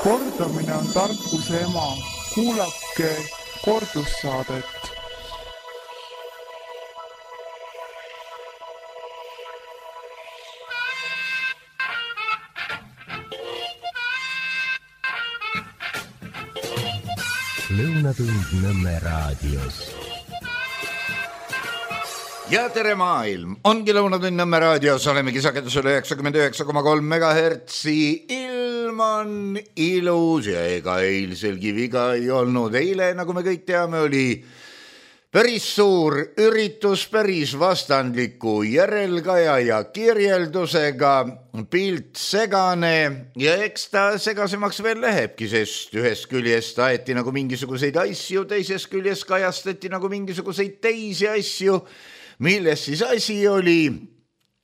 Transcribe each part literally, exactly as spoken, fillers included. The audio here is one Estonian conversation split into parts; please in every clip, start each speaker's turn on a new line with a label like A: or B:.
A: Kordamine on tarkuse ema. Kuulake kordussaadet.
B: Lõunatund Nõmme raadios.
C: Ja tere maailm! Ongi Lõunatund Nõmme raadios, olemegi sagedusel üheksakümmend üheksa koma kolm megahertsi. Ilm on ilus ja ega eilselgi viga ei olnud. Eile, nagu me kõik teame, oli päris suur üritus, päris vastandliku järelkaja ja kirjeldusega, pilt segane ja eks ta segasemaks veel lähebki, sest ühest küljest aeti nagu mingisuguseid asju, teisest küljest kajastati nagu mingisuguseid teisi asju, milles siis asi oli.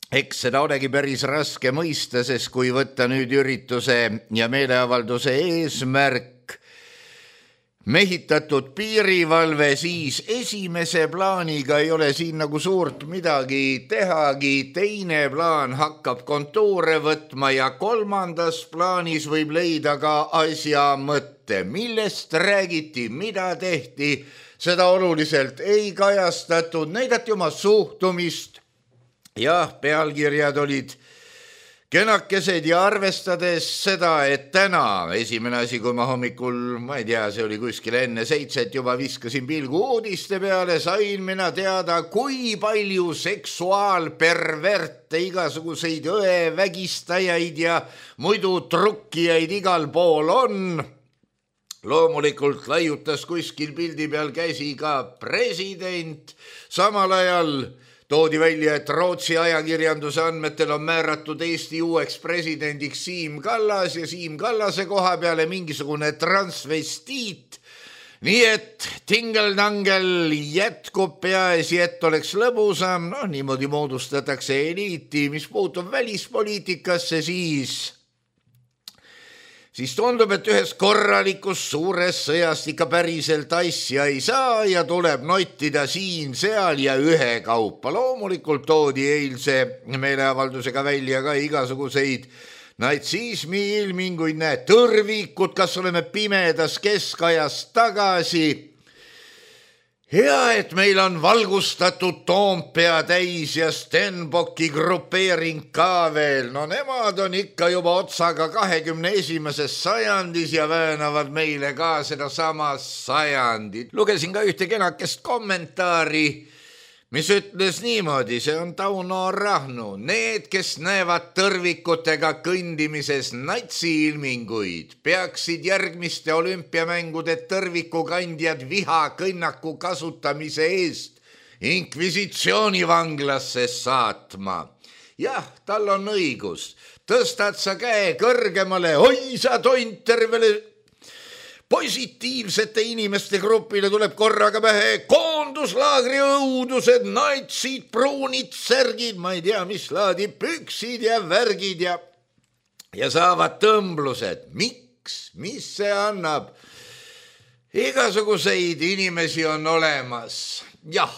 C: Eks seda olegi päris raske mõista, sest kui võtta nüüd ürituse ja meeleavalduse eesmärk, mehitatud piirivalve, siis esimese plaaniga ei ole siin nagu suurt midagi tehagi, teine plaan hakkab kontuure võtma ja kolmandas plaanis võib leida ka asja mõtte. Millest räägiti, mida tehti, seda oluliselt ei kajastatud, näidati oma suhtumist. Jah, pealkirjad olid kenakesed ja arvestades seda, et täna esimene asi, kui ma hommikul, ma ei tea, see oli kuskil enne seitset, juba viskasin pilgu uudiste peale, sain mina teada, kui palju seksuaalperverte, igasuguseid õevägistajaid ja muidu trukkijaid igal pool on. Loomulikult laiutas kuskil pildi peal käsi ka president, samal ajal toodi välja, et Rootsi ajakirjanduse andmetel on määratud Eesti uueks presidendiks Siim Kallas ja Siim Kallase koha peale mingisugune transvestiit. Nii et tingeldangel jätkub, peaasi, et oleks lõbusam. No, niimoodi moodustatakse eliiti, mis puutub välispoliitikasse, siis... siis tundub, et ühes korralikus suures sõjast ikka päriselt asja ei saa ja tuleb nottida siin, seal ja ühe kaupa. Loomulikult toodi eilse meeleavaldusega välja ka igasuguseid natsismi ilminguid, näed, tõrvikud, kas oleme pimedas keskajast tagasi. Hea, et meil on valgustatud Toompea täis ja Stenbocki grupeering ka veel. No nemad on ikka juba otsaga kahekümne esimeses sajandis ja väänavad meile ka seda sama sajandit. Lugesin ka ühte kenakest kommentaari, mis ütles niimoodi, see on Tauno Rahnu. Need, kes näevad tõrvikutega kõndimises natsiilminguid, peaksid järgmiste olümpiamängude tõrvikukandjad vihakõnnaku kasutamise eest inkvisitsioonivanglasse saatma. Jah, tal on õigus. Tõstad sa käe kõrgemale, oi sa tont tervele positiivsete inimeste grupile tuleb korraga pähe koonduslaagri õudused, natsid, pruunid, särgid, ma ei tea, mis laadi püksid ja värgid ja, ja saavad tõmblused. Miks? Mis see annab? Igasuguseid inimesi on olemas. Jah,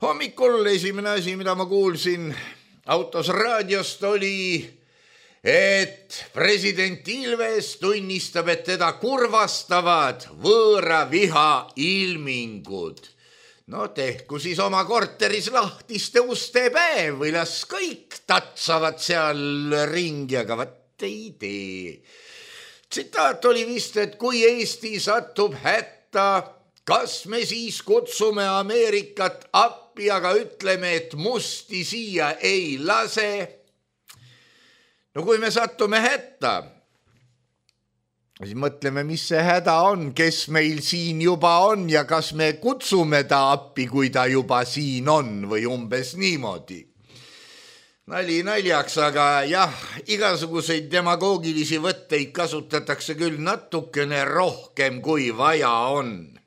C: hommikul esimene asi, mida ma kuulsin autos raadiost oli... et president Ilves tunnistab, et teda kurvastavad võõra viha ilmingud. No tehku siis oma korteris lahtiste uste päev või las kõik tatsavad seal ringi, aga vaat ei tee. Tsitaat oli vist, et kui Eesti satub hätta, kas me siis kutsume Ameerikat appi, aga ütleme, et musti siia ei lase. No kui me sattume hätta, siis mõtleme, mis see häda on, kes meil siin juba on ja kas me kutsume ta appi, kui ta juba siin on või umbes niimoodi. Nali naljaks, aga jah, igasuguseid demagoogilisi võtteid kasutatakse küll natukene rohkem, kui vaja on.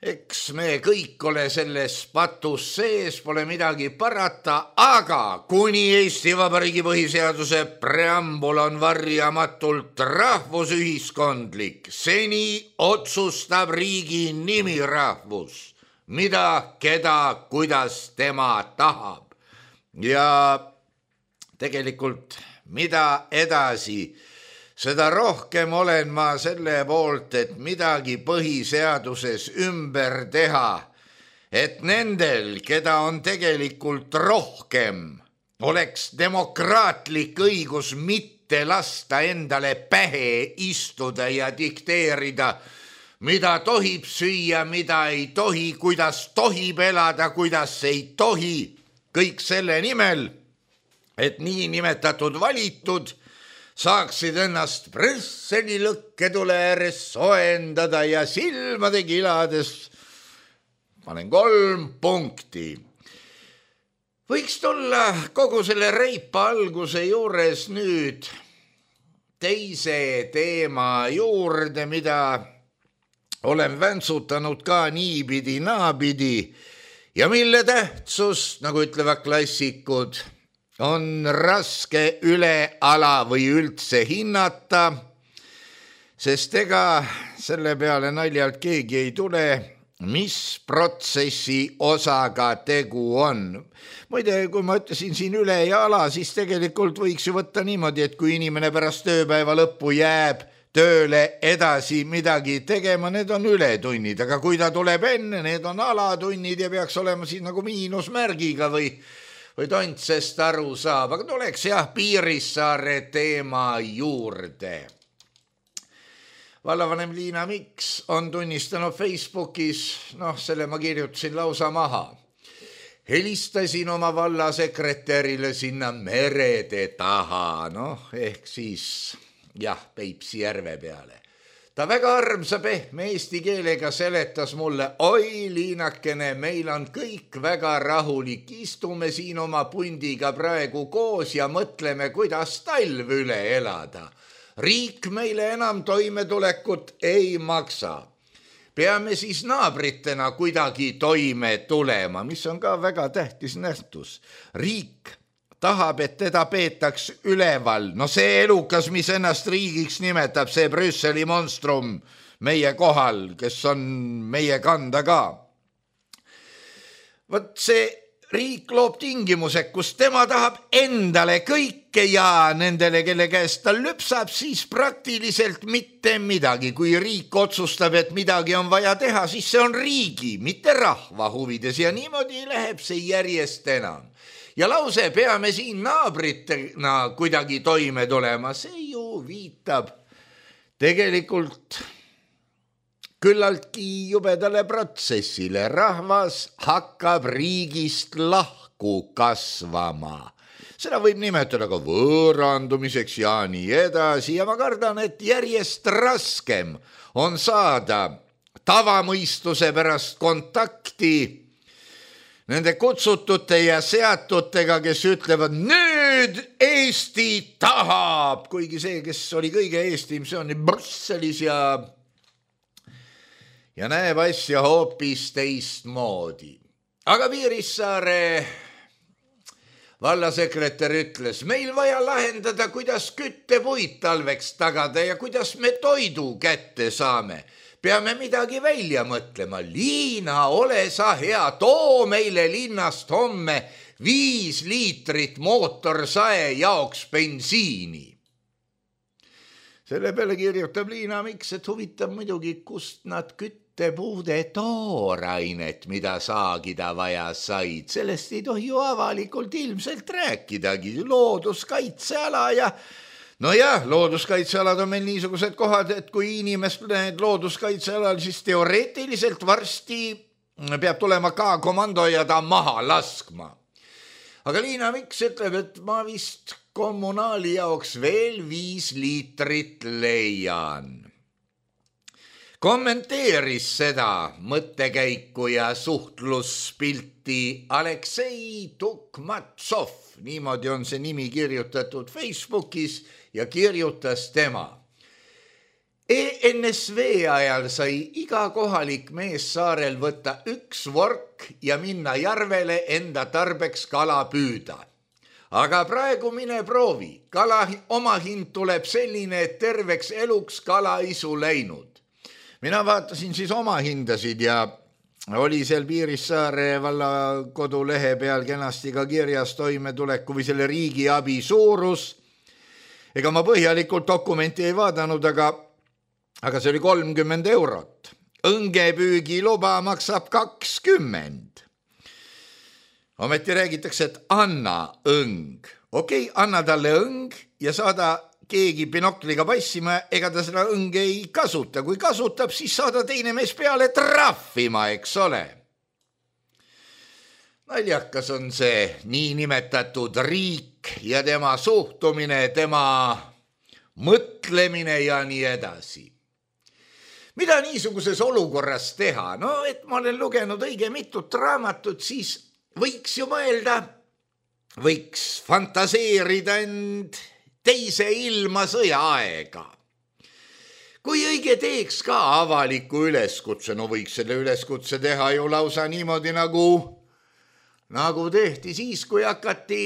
C: Eks me kõik ole selles patus sees, pole midagi parata, aga kuni Eesti Vabariigi põhiseaduse preambul on varjamatult rahvusühiskondlik, seni otsustab riigi nimi rahvus, mida, keda, kuidas tema tahab. Ja tegelikult mida edasi? seda rohkem olen ma selle poolt, et midagi põhiseaduses ümber teha, et nendel, keda on tegelikult rohkem, oleks demokraatlik õigus mitte lasta endale pähe istuda ja dikteerida, mida tohib süüa, mida ei tohi, kuidas tohib elada, kuidas ei tohi. Kõik selle nimel, et nii nimetatud valitud saaksid ennast Brüsseli lõkketule ääres soendada ja silmade kilades panen kolm punkti. Võiks tulla kogu selle reipa alguse juures nüüd teise teema juurde, mida olen väntsutanud ka niipidi naapidi ja mille tähtsus, nagu ütlevad klassikud, on raske üle ala või üldse hinnata, sest ega selle peale naljalt keegi ei tule, mis protsessi osaga tegu on. Muide, kui ma ütlesin siin üle ja ala, siis tegelikult võiks ju võtta niimoodi, et kui inimene pärast tööpäeva lõppu jääb tööle edasi midagi tegema, need on ületunnid, aga kui ta tuleb enne, need on alatunnid ja peaks olema siis nagu miinusmärgiga või, või tontsest aru saab, aga tuleks jah Piirissaare teema juurde. Vallavanem Liina Miks on tunnistanud Facebookis, noh selle ma kirjutasin lausa maha. Helistasin oma vallasekretärile sinna merede taha, noh ehk siis jah, Peipsi järve peale. Ta väga armsa pehme eesti keelega seletas mulle, oi Liinakene, meil on kõik väga rahulik, istume siin oma pundiga praegu koos ja mõtleme, kuidas talv üle elada. Riik meile enam toimetulekut ei maksa. Peame siis naabritena kuidagi toime tulema, mis on ka väga tähtis nähtus. Riik tahab, et teda peetaks üleval. No see elukas, mis ennast riigiks nimetab, see Brüsseli monstrum meie kohal, kes on meie kanda ka. Vot see riik loob tingimused, kus tema tahab endale kõike ja nendele, kelle käest ta lüpsab, siis praktiliselt mitte midagi. Kui riik otsustab, et midagi on vaja teha, siis see on riigi, mitte rahva huvides ja niimoodi läheb see järjest enam. Ja lause peame siin naabritena kuidagi toime tulema, see ju viitab tegelikult küllaltki jubedale protsessile. Rahvas hakkab riigist lahku kasvama. Seda võib nimetada ka võõrandumiseks ja nii edasi ja ma kardan, et järjest raskem on saada tavamõistuse pärast kontakti nende kutsutute ja seatutega, kes ütlevad, nüüd Eesti tahab, kuigi see, kes oli kõige Eestim, see on Brüsselis ja, ja näeb asja hoopis teistmoodi. Aga Piirissaare vallasekretär ütles, meil vaja lahendada, kuidas küttepuid talveks tagada ja kuidas me toidu kätte saame. Peame midagi välja mõtlema. Liina, ole sa hea, too meile linnast homme viis liitrit mootorsae jaoks bensiini. Selle peale kirjutab Liina Miks, et huvitab muidugi, kust nad küttepuude toorainet, mida saagida vaja said. Sellest ei tohi ju avalikult ilmselt rääkidagi. Looduskaitseala ja no jah, looduskaitsealad on meil niisugused kohad, et kui inimest need looduskaitsealal, siis teoreetiliselt varsti peab tulema ka komando ja ta maha laskma. Aga Liina Miks ütleb, et ma vist kommunaali jaoks veel viis liitrit leian. Kommenteeris seda mõttekäiku ja suhtluspilti Aleksei Tukmatsov. Niimoodi on see nimi kirjutatud Facebookis ja kirjutas tema. E N S V ajal sai iga kohalik mees saarel võtta üks vork ja minna järvele enda tarbeks kala püüda. Aga praegu mine proovi. Kala omahind tuleb selline, et terveks eluks kala isu läinud. Mina vaatasin siis oma hindasid ja oli seal Piirissaare valla kodulehe peal kenasti ka kirjas toimetuleku või selle riigiabi suurus. ega ma põhjalikult dokumenti ei vaadanud, aga, aga see oli kolmkümmend eurot. Õngepüügiluba maksab kakskümmend. Ometi räägitakse, et anna õng. Okei, anna talle õng ja saada keegi binokliga passima, ega ta seda õnge ei kasuta. Kui kasutab, siis saada teine mees peale trahvima, eks ole. Naljakas on see niinimetatud riik ja tema suhtumine, tema mõtlemine ja nii edasi. Mida niisuguses olukorras teha? No, et ma olen lugenud õige mitut raamatut, siis võiks ju mõelda, võiks fantaseerida end teise ilma sõjaaega. Kui õige teeks ka avaliku üleskutse, no võiks selle üleskutse teha ju lausa niimoodi nagu, nagu tehti siis, kui hakati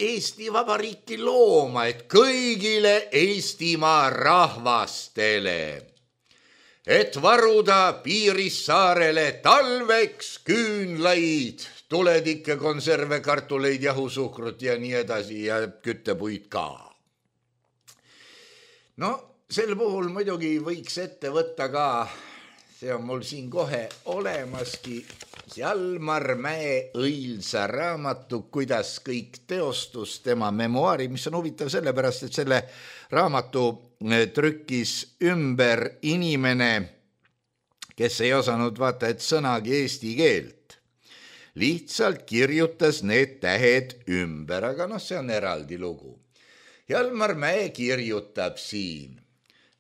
C: Eesti Vabariiki looma, et kõigile Eestimaa rahvastele, et varuda Piirissaarele talveks küünlaid, tuledikke, konserve, kartuleid, jahusuhkrut ja nii edasi ja küttepuid ka. No, sel puhul muidugi võiks ette võtta ka, see on mul siin kohe olemaski, Jalmar Mäe õilsa raamatu, kuidas kõik teostus, tema memuaari, mis on huvitav sellepärast, et selle raamatu trükkis ümber inimene, kes ei osanud vaata, et sõnagi eesti keelt. Lihtsalt kirjutas need tähed ümber, aga noh, see on eraldi lugu. Jalmar Mäe kirjutab siin.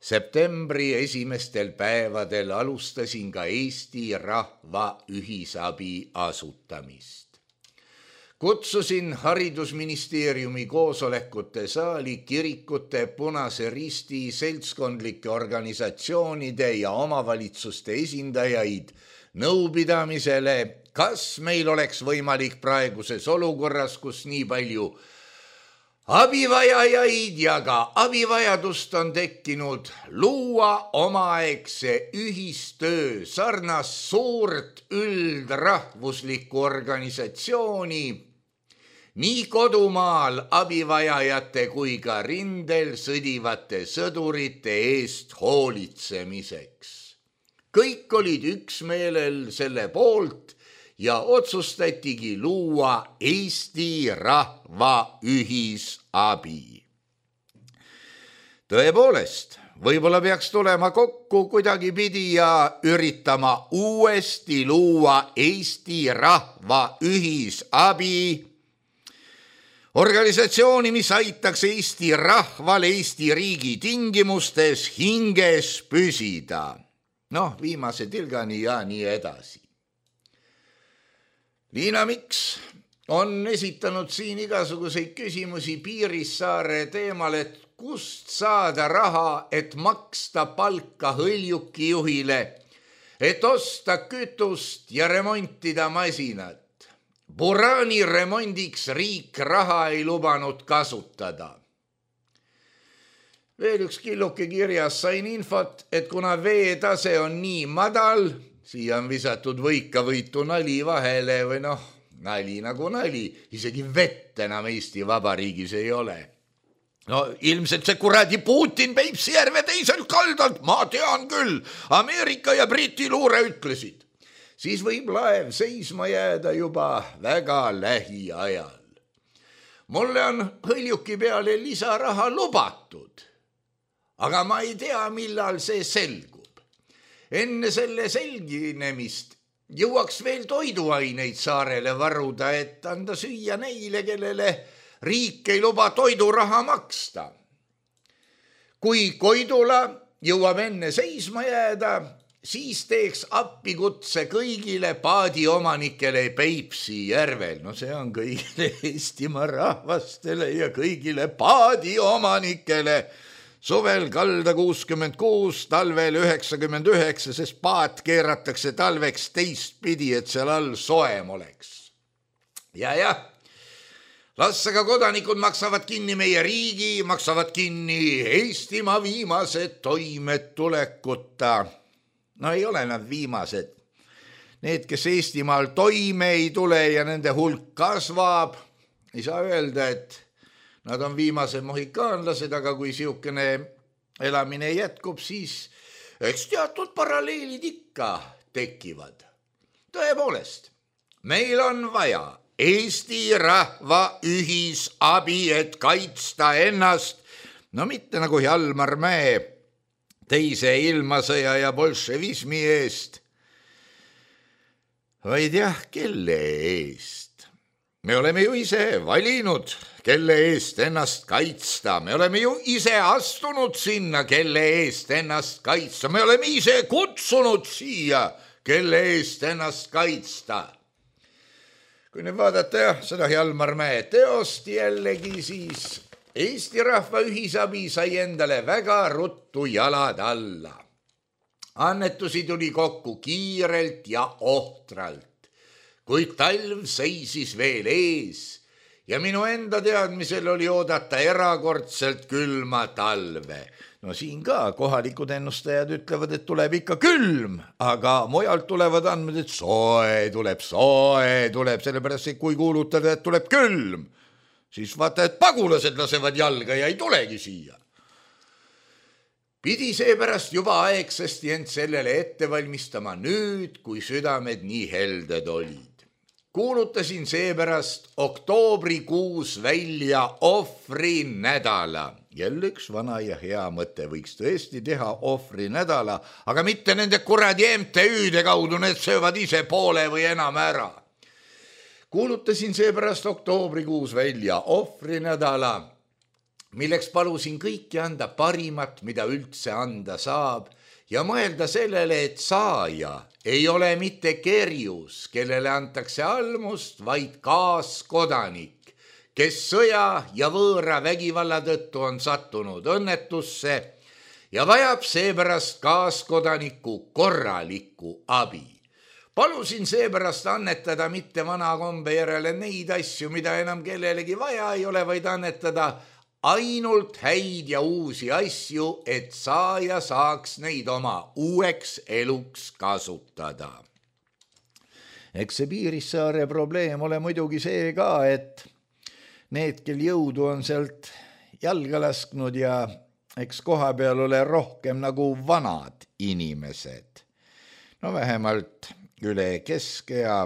C: Septembri esimestel päevadel alustasin ka Eesti Rahva Ühisabi asutamist. Kutsusin haridusministeeriumi koosolekute saali kirikute, Punase Risti, seltskondlike organisatsioonide ja omavalitsuste esindajaid nõupidamisele, kas meil oleks võimalik praeguses olukorras, kus nii palju abivajajaid ja ka abivajadust on tekkinud, luua omaaegse ühistöö sarnast suurt üldrahvuslikku organisatsiooni nii kodumaal abivajajate kui ka rindel sõdivate sõdurite eest hoolitsemiseks. Kõik olid üksmeelel selle poolt ja otsustatigi luua Eesti Rahva Ühisabi. Tõepoolest, võib-olla peaks tulema kokku kuidagi pidi ja üritama uuesti luua Eesti Rahva Ühisabi, organisatsiooni, mis aitaks Eesti rahval Eesti riigi tingimustes hinges püsida. Noh, viimase tilgani ja nii edasi. Liina Miks on esitanud siin igasuguseid küsimusi Piirissaare teemal, et kust saada raha, et maksta palka hõljukijuhile, et osta kütust ja remontida masinat. Burani remondiks riik raha ei lubanud kasutada. Veel üks killuke kirjas sain infot, et kuna veetase on nii madal, siia on visatud võikavõitu nali vahele või noh, nali nagu nali, isegi vett enam Eesti Vabariigis ei ole. No ilmselt see kuradi Putin Peipsijärve teiselt kaldalt, ma tean küll, Ameerika ja Briti luure ütlesid. Siis võib laev seisma jääda juba väga lähiajal. Mulle on hõljuki peale lisaraha lubatud, aga ma ei tea, millal see selgub. Enne selle selginemist jõuaks veel toiduaineid saarele varuda, et anda süüa neile, kellele riik ei luba toiduraha maksta. Kui Koidula jõuab enne seisma jääda, siis teeks appikutse kõigile paadiomanikele Peipsi järvel. No see on kõigile Eestimaa rahvastele ja kõigile paadiomanikele. Suvel kalda kuuskümmend kuus, talvel üheksakümmend üheksa, sest paat keeratakse talveks teistpidi, et seal all soem oleks. Ja jah, las aga kodanikud maksavad kinni meie riigi, maksavad kinni Eestimaa viimased toimetulekuta. No ei ole nad viimased. Need, kes Eestimaal toime ei tule ja nende hulk kasvab, ei saa öelda, et Nad on viimase mohikaanlased, aga kui siukene elamine jätkub, siis eks teatud paralleelid ikka tekivad. Tõepoolest, meil on vaja Eesti rahva ühisabi, et kaitsta ennast, no mitte nagu Hjalmar Mäe teise ilmasõja ja bolševismi eest, vaid jah, kelle eest. Me oleme ju ise valinud, kelle eest ennast kaitsta. Me oleme ju ise astunud sinna, kelle eest ennast kaitsta. Me oleme ise kutsunud siia, kelle eest ennast kaitsta. Kui nüüd vaadata jah, seda Hjalmar Mäe teost jällegi, siis Eesti rahva ühisabi sai endale väga ruttu jalad alla. Annetusi tuli kokku kiirelt ja ohtralt, kuid talv seisis veel ees ja minu enda teadmisel oli oodata erakordselt külma talve. No siin ka kohalikud ennustajad ütlevad, et tuleb ikka külm, aga mujalt tulevad andmed, et soe tuleb, soe tuleb, sellepärast, et kui kuulutada, et tuleb külm, siis vaata, et pagulased lasevad jalga ja ei tulegi siia. Pidi seepärast juba aegsasti end sellele ette valmistama nüüd, kui südamed nii helded olid. Kuulutasin seepärast oktoobrikuus välja ohvrinädala. Jälle üks vana ja hea mõte, võiks tõesti teha ohvrinädala, aga mitte nende kuradi M T Ü-de kaudu, need söövad ise poole või enam ära. Kuulutasin seepärast oktoobrikuus välja ohvrinädala, milleks palusin kõiki anda parimat, mida üldse anda saab, ja mõelda sellele, et saaja ei ole mitte kerjus, kellele antakse almust, vaid kaaskodanik, kes sõja ja võõra vägivalla tõttu on sattunud õnnetusse ja vajab seepärast kaaskodaniku korralikku abi. Palusin seepärast annetada mitte vana kombe järele neid asju, mida enam kellelegi vaja ei ole, vaid annetada ainult häid ja uusi asju, et saaja saaks neid oma uueks eluks kasutada. Eks see Piirissaare probleem ole muidugi see ka, et need, kel jõudu on sealt jalga lasknud ja eks koha peal ole rohkem nagu vanad inimesed. No vähemalt üle keskea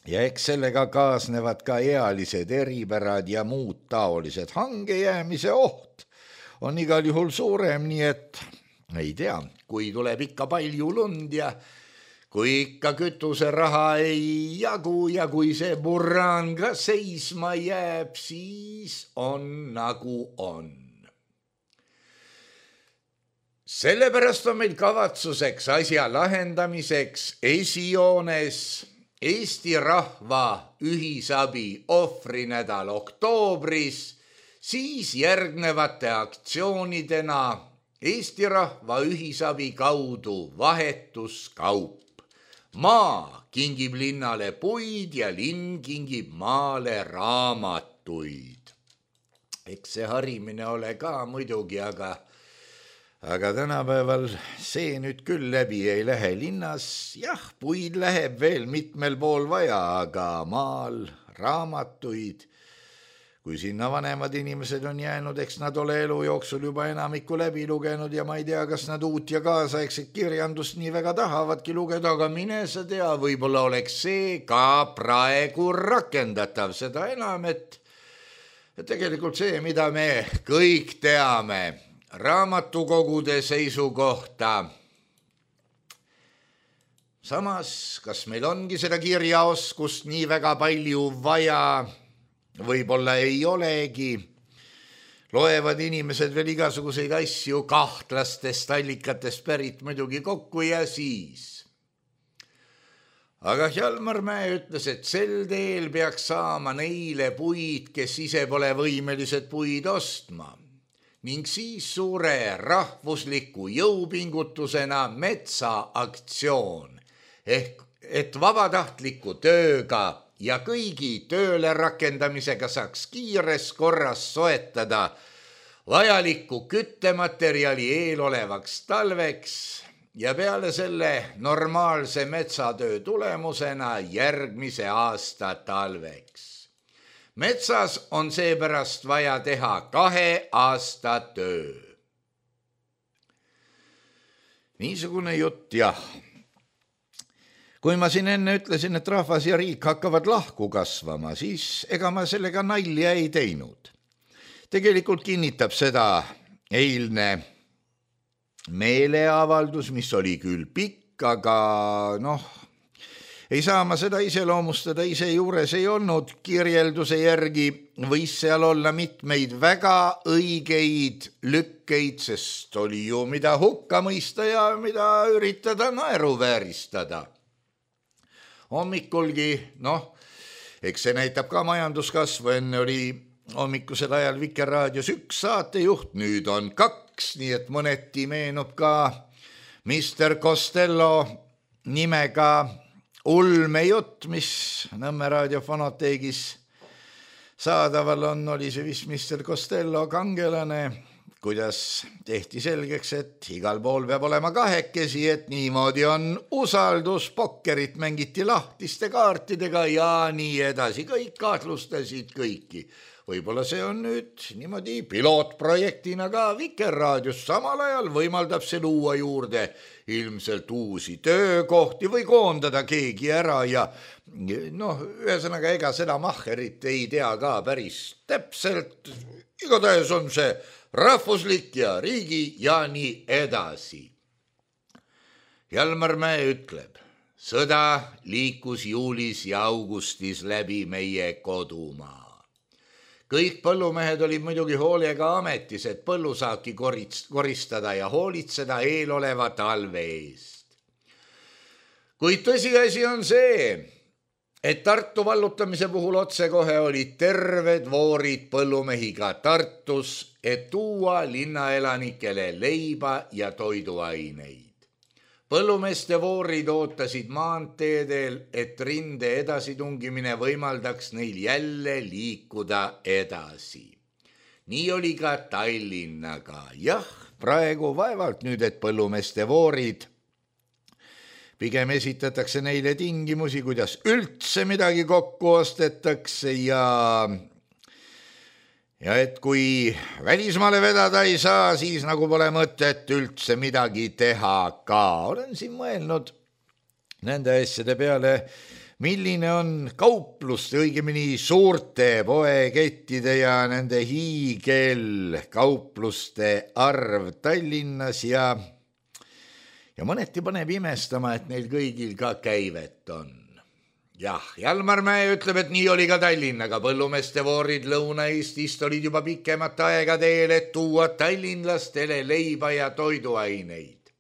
C: ja eks sellega kaasnevad ka ealised eripärad ja muud taolised. Hange jäämise oht on igal juhul suurem, nii et ei tea, kui tuleb ikka palju lund ja kui ikka kütuseraha ei jagu ja kui see burraan ka seisma jääb, siis on nagu on. Sellepärast on meil kavatsuseks asja lahendamiseks esijoones Eesti rahva ühisabi ohvrinädal oktoobris, siis järgnevate aktsioonidena Eesti rahva ühisabi kaudu vahetuskaup. Maa kingib linnale puid ja linn kingib maale raamatuid. Eks see harimine ole ka muidugi, aga, aga tänapäeval see nüüd küll läbi ei lähe. Linnas jah, puid läheb veel mitmel pool vaja, aga maal raamatuid, kui sinna vanemad inimesed on jäänud, eks nad ole elu jooksul juba enamikku läbi lugenud ja ma ei tea, kas nad uut ja kaasaegset kirjandust nii väga tahavadki lugeda, aga mine sa tea, võib-olla oleks see ka praegu rakendatav, seda enam, et tegelikult see, mida me kõik teame raamatukogude seisukohta. Samas, kas meil ongi seda kirjaoskust nii väga palju vaja? Võib-olla ei olegi. Loevad inimesed veel igasuguseid asju kahtlastest allikatest pärit muidugi kokku ja siis. Aga Hjalmar Mäe ütles, et sel teel peaks saama neile puid, kes ise pole võimelised puid ostma. Ning siis suure rahvusliku jõupingutusena metsaaktsioon, ehk et vabatahtliku tööga ja kõigi tööle rakendamisega saaks kiires korras soetada vajalikku küttematerjali eelolevaks talveks ja peale selle normaalse metsatöö tulemusena järgmise aasta talveks. Metsas on seepärast vaja teha kahe aasta töö. Niisugune jutt, jah. Kui ma siin enne ütlesin, et rahvas ja riik hakkavad lahku kasvama, siis ega ma sellega nalja ei teinud. Tegelikult kinnitab seda eilne meeleavaldus, mis oli küll pikk, aga noh, ei saa ma seda iseloomustada, ise juures ei olnud, kirjelduse järgi võis seal olla mitmeid väga õigeid lükkeid, sest oli ju mida hukka mõista ja mida üritada naeruvääristada. Hommikulgi, noh, eks see näitab ka majanduskasvu, enne oli hommikusel ajal Vikerraadios üks saatejuht, nüüd on kaks, nii et mõneti meenub ka mister Costello nimega ulmejutt, mis Nõmme raadiofonoteegis saadaval on, oli see vist mister Costello kangelane, kuidas tehti selgeks, et igal pool peab olema kahekesi, et niimoodi on usaldus, pokkerit mängiti lahtiste kaartidega ja nii edasi, kõik kahtlustasid kõiki. Võib-olla see on nüüd niimoodi pilootprojektina ka Vikerraadios, samal ajal võimaldab see luua juurde ilmselt uusi töökohti või koondada keegi ära ja noh, ühesõnaga ega seda mahherit ei tea ka päris täpselt, igatahes on see rahvuslik ja riigi ja nii edasi. Jalmar Mäe ütleb, sõda liikus juulis ja augustis läbi meie kodumaa. Kõik põllumehed olid muidugi hoolega ametis, et põllusaaki koristada ja hoolitseda eeloleva talve eest. Kuid tõsiasi on see, et Tartu vallutamise puhul otsekohe olid terved voorid põllumehiga Tartus, et tuua linnaelanikele leiba ja toiduaineid. Põllumeeste voorid ootasid maanteedel, et rinde edasitungimine võimaldaks neil jälle liikuda edasi. Nii oli ka Tallinnaga. Jah, praegu vaevalt nüüd, et põllumeeste voorid pigem esitatakse neile tingimusi, kuidas üldse midagi kokku ostetakse ja ja et kui välismaale vedada ei saa, siis nagu pole mõtet üldse midagi teha ka. Olen siin mõelnud nende asjade peale, milline on kaupluste, õigemini suurte poekettide ja nende hiigel kaupluste arv Tallinnas ja ja mõneti paneb imestama, et neil kõigil ka käivet on. Jah, Jalmar Mäe ütleb, et nii oli ka Tallinnaga. Põllumeeste voorid Lõuna-Eestist olid juba pikemat aega teel, et tuua tallinlastele leiba ja toiduaineid.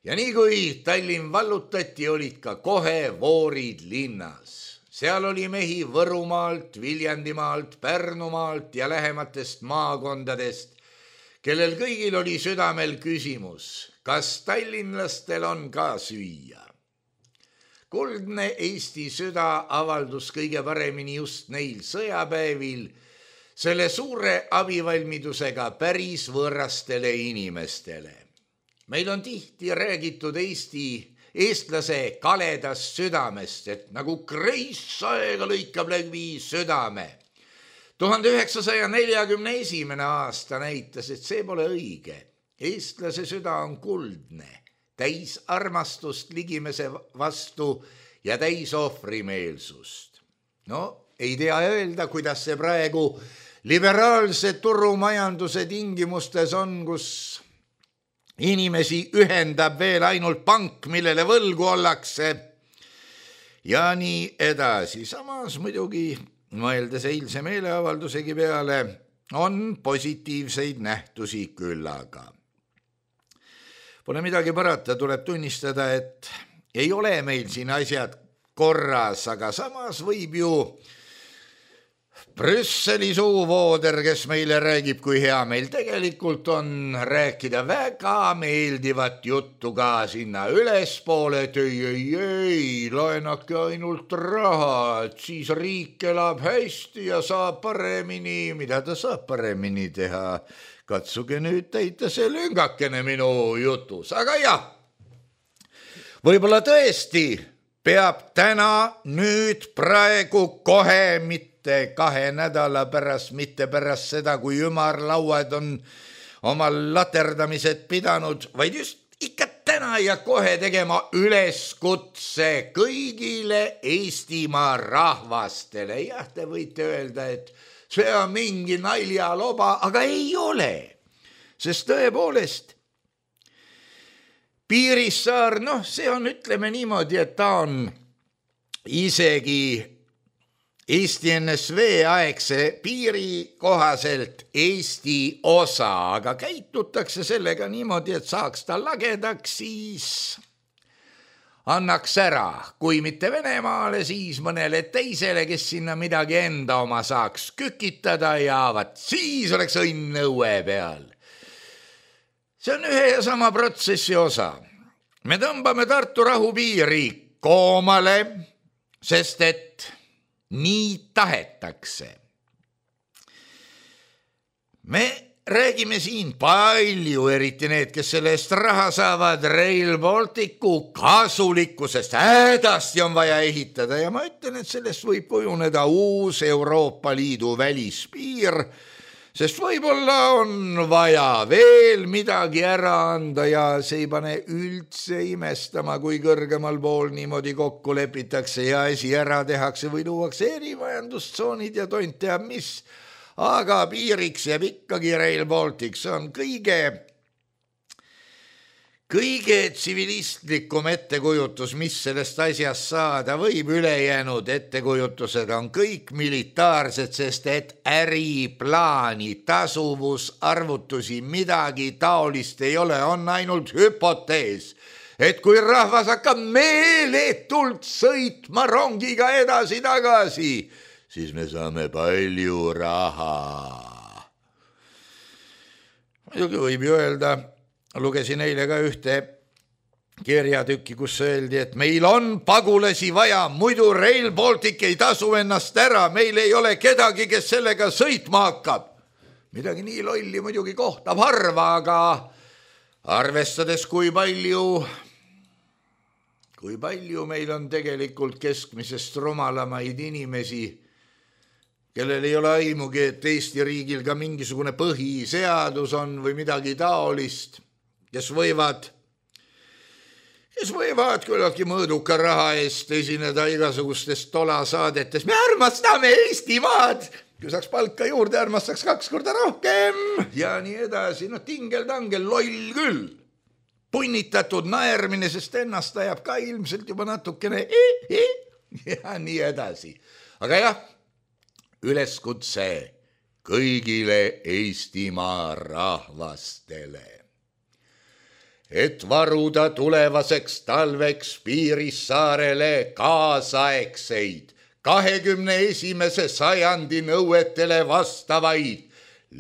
C: Ja nii kui Tallinn vallutati, olid ka kohe voorid linnas. Seal oli mehi Võrumaalt, Viljandimaalt, Pärnumaalt ja lähematest maakondadest, kellel kõigil oli südamel küsimus, kas tallinlastel on ka süüa. Kuldne Eesti süda avaldus kõige paremini just neil sõjapäevil, selle suure abivalmidusega päris võõrastele inimestele. Meil on tihti räägitud Eesti, eestlase kaledast südamest, et nagu kreissaega lõikab läbi südame. tuhande üheksasaja neljakümne esimene aasta näitas, et see pole õige. Eestlase süda on kuldne, täis armastust ligimese vastu ja täis ohvrimeelsust. No, ei tea öelda, kuidas see praegu liberaalse turumajanduse tingimustes on, kus inimesi ühendab veel ainult pank, millele võlgu ollakse ja nii edasi. Samas muidugi, mõeldes eilse meeleavaldusegi peale, on positiivseid nähtusi küllaga. Pole midagi parata, tuleb tunnistada, et ei ole meil siin asjad korras, aga samas võib ju Brüsseli suuvooder, kes meile räägib, kui hea meil tegelikult on, rääkida väga meeldivat juttu ka sinna ülespoole, et ei, ei, ei, laenake ainult raha, et siis riik elab hästi ja saab paremini, mida ta saab paremini teha. Katsuge nüüd täita see lüngakene minu jutus, aga jah, võib-olla tõesti peab täna nüüd praegu kohe mitte mitte kahe nädala pärast, mitte pärast seda, kui ümarlauad on omal laterdamised pidanud, vaid just ikka täna ja kohe tegema üleskutse kõigile Eestimaa rahvastele. Jah, te võite öelda, et see on mingi naljaloba, aga ei ole, sest tõepoolest Piirissaar, noh, see on, ütleme niimoodi, et ta on isegi Eesti N S V aegse piiri kohaselt Eesti osa, aga käitutakse sellega niimoodi, et saaks ta lagedaks, siis annaks ära, kui mitte Venemaale, siis mõnele teisele, kes sinna midagi enda oma saaks kükitada ja vaat siis oleks õnn õue peal. See on ühe ja sama protsessi osa. Me tõmbame Tartu rahupiiri koomale, sest et nii tahetakse. Me räägime siin palju, eriti need, kes selle eest raha saavad, Rail Balticu kasulikkusest. Hädasti on vaja ehitada ja ma ütlen, et sellest võib kujuneda uus Euroopa Liidu välispiir, sest võib-olla on vaja veel midagi ära anda ja see ei pane üldse imestama, kui kõrgemal pool niimoodi kokku lepitakse ja asi ära tehakse või luuakse erimajandustsoonid ja tont teab mis, aga piiriks jääb ikkagi Rail Baltic. See on kõige, kõige tsivilistlikum ettekujutus, mis sellest asjast saada võib. Ülejäänud ettekujutused on kõik militaarsed, sest et äriplaani, tasuvusarvutusi, midagi taolist ei ole, on ainult hüpotees, et kui rahvas hakkab meeletult sõitma rongiga edasi-tagasi, siis me saame palju raha. Muidugi võib ju öelda, lugesin eile ka ühte kirjatükki, kus öeldi, et meil on pagulasi vaja, muidu Rail Baltic ei tasu ennast ära, meil ei ole kedagi, kes sellega sõitma hakkab. Midagi nii lolli muidugi kohtab harva, aga arvestades, kui palju, kui palju meil on tegelikult keskmisest rumalamaid inimesi, kellel ei ole aimugi, et Eesti riigil ka mingisugune põhiseadus on või midagi taolist, kes võivad, kes võivad küllaltki mõõduka raha eest esineda igasugustes tolasaadetes. Me armastame Eestimaad, kui saaks palka juurde, armastaks kaks korda rohkem ja nii edasi. No tingel-tangel, loll küll. Punnitatud naermine, sest ennast ajab ka ilmselt juba natukene ja nii edasi. Aga jah, üleskutse kõigile Eestimaa rahvastele, et varuda tulevaseks talveks Piirissaarele kaasaegseid kahekümne esimese sajandi nõuetele vastavaid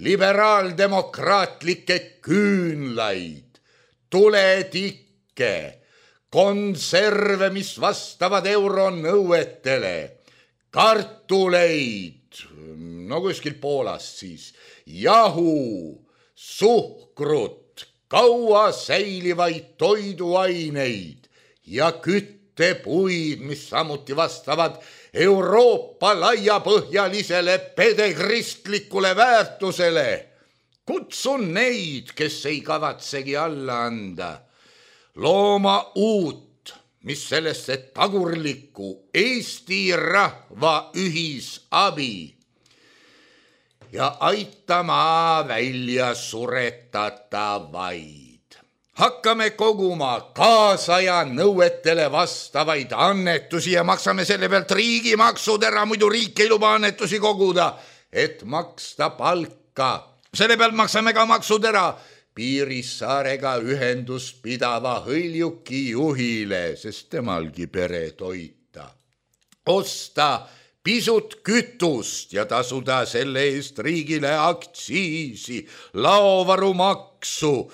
C: liberaaldemokraatlikke küünlaid, tuletikke, konserve, mis vastavad euronõuetele, kartuleid, no kuskil Poolast siis, jahu, suhkrut, kaua säilivaid toiduaineid ja küttepuid, mis samuti vastavad Euroopa laiapõhjalisele pedekristlikule väärtusele. Kutsun neid, kes ei kavatsegi alla anda, looma uut, mis sellesse tagurlikku Eesti rahva ühisabi ja aitama välja suretatavaid. Hakkame koguma kaasaja nõuetele vastavaid annetusi ja maksame selle pealt riigimaksud ära, muidu riik ei luba annetusi koguda, et maksta palka. Selle pealt maksame ka maksud ära Piirissaarega ühendust pidava Hõljuki juhile, sest temalgi pere toita. Osta pisut kütust ja tasuda selle eest riigile aktsiisi, laovarumaksu,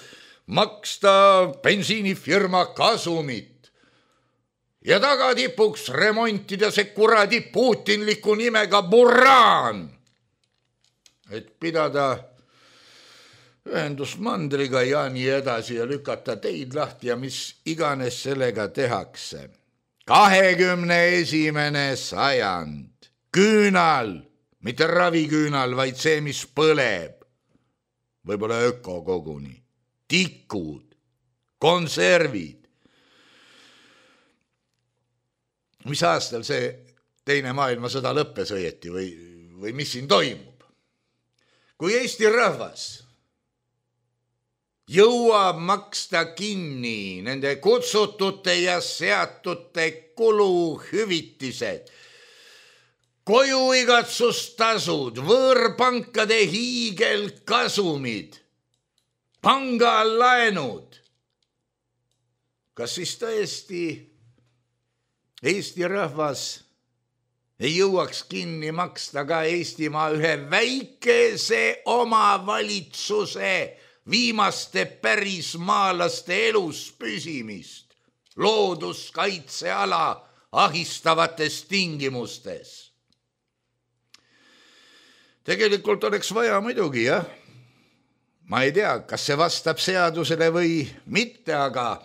C: maksta bensiinifirma kasumit ja tagatipuks remontida see kuradi putinliku nimega Buraan, et pidada ühendust mandriga ja nii edasi ja lükata teid lahti ja mis iganes sellega tehakse. kahekümne esimene sajand, küünal mitte raviküünal, vaid see, mis põleb. Võib-olla öko koguni. Tikud, konservid. Mis aastal see teine maailmasõda lõppes õieti või, või mis siin toimub? Kui Eesti rahvas jõuab maksta kinni nende kutsutute ja seatute kuluhüvitised, kojuigatsustasud, võõrpankade hiigelkasumid, pangalaenud, kas siis tõesti Eesti rahvas ei jõuaks kinni maksta ka Eestimaa ühe väikese omavalitsuse viimaste pärismaalaste elus püsimist looduskaitseala ahistavates tingimustes? Tegelikult oleks vaja muidugi, jah. Ma ei tea, kas see vastab seadusele või mitte, aga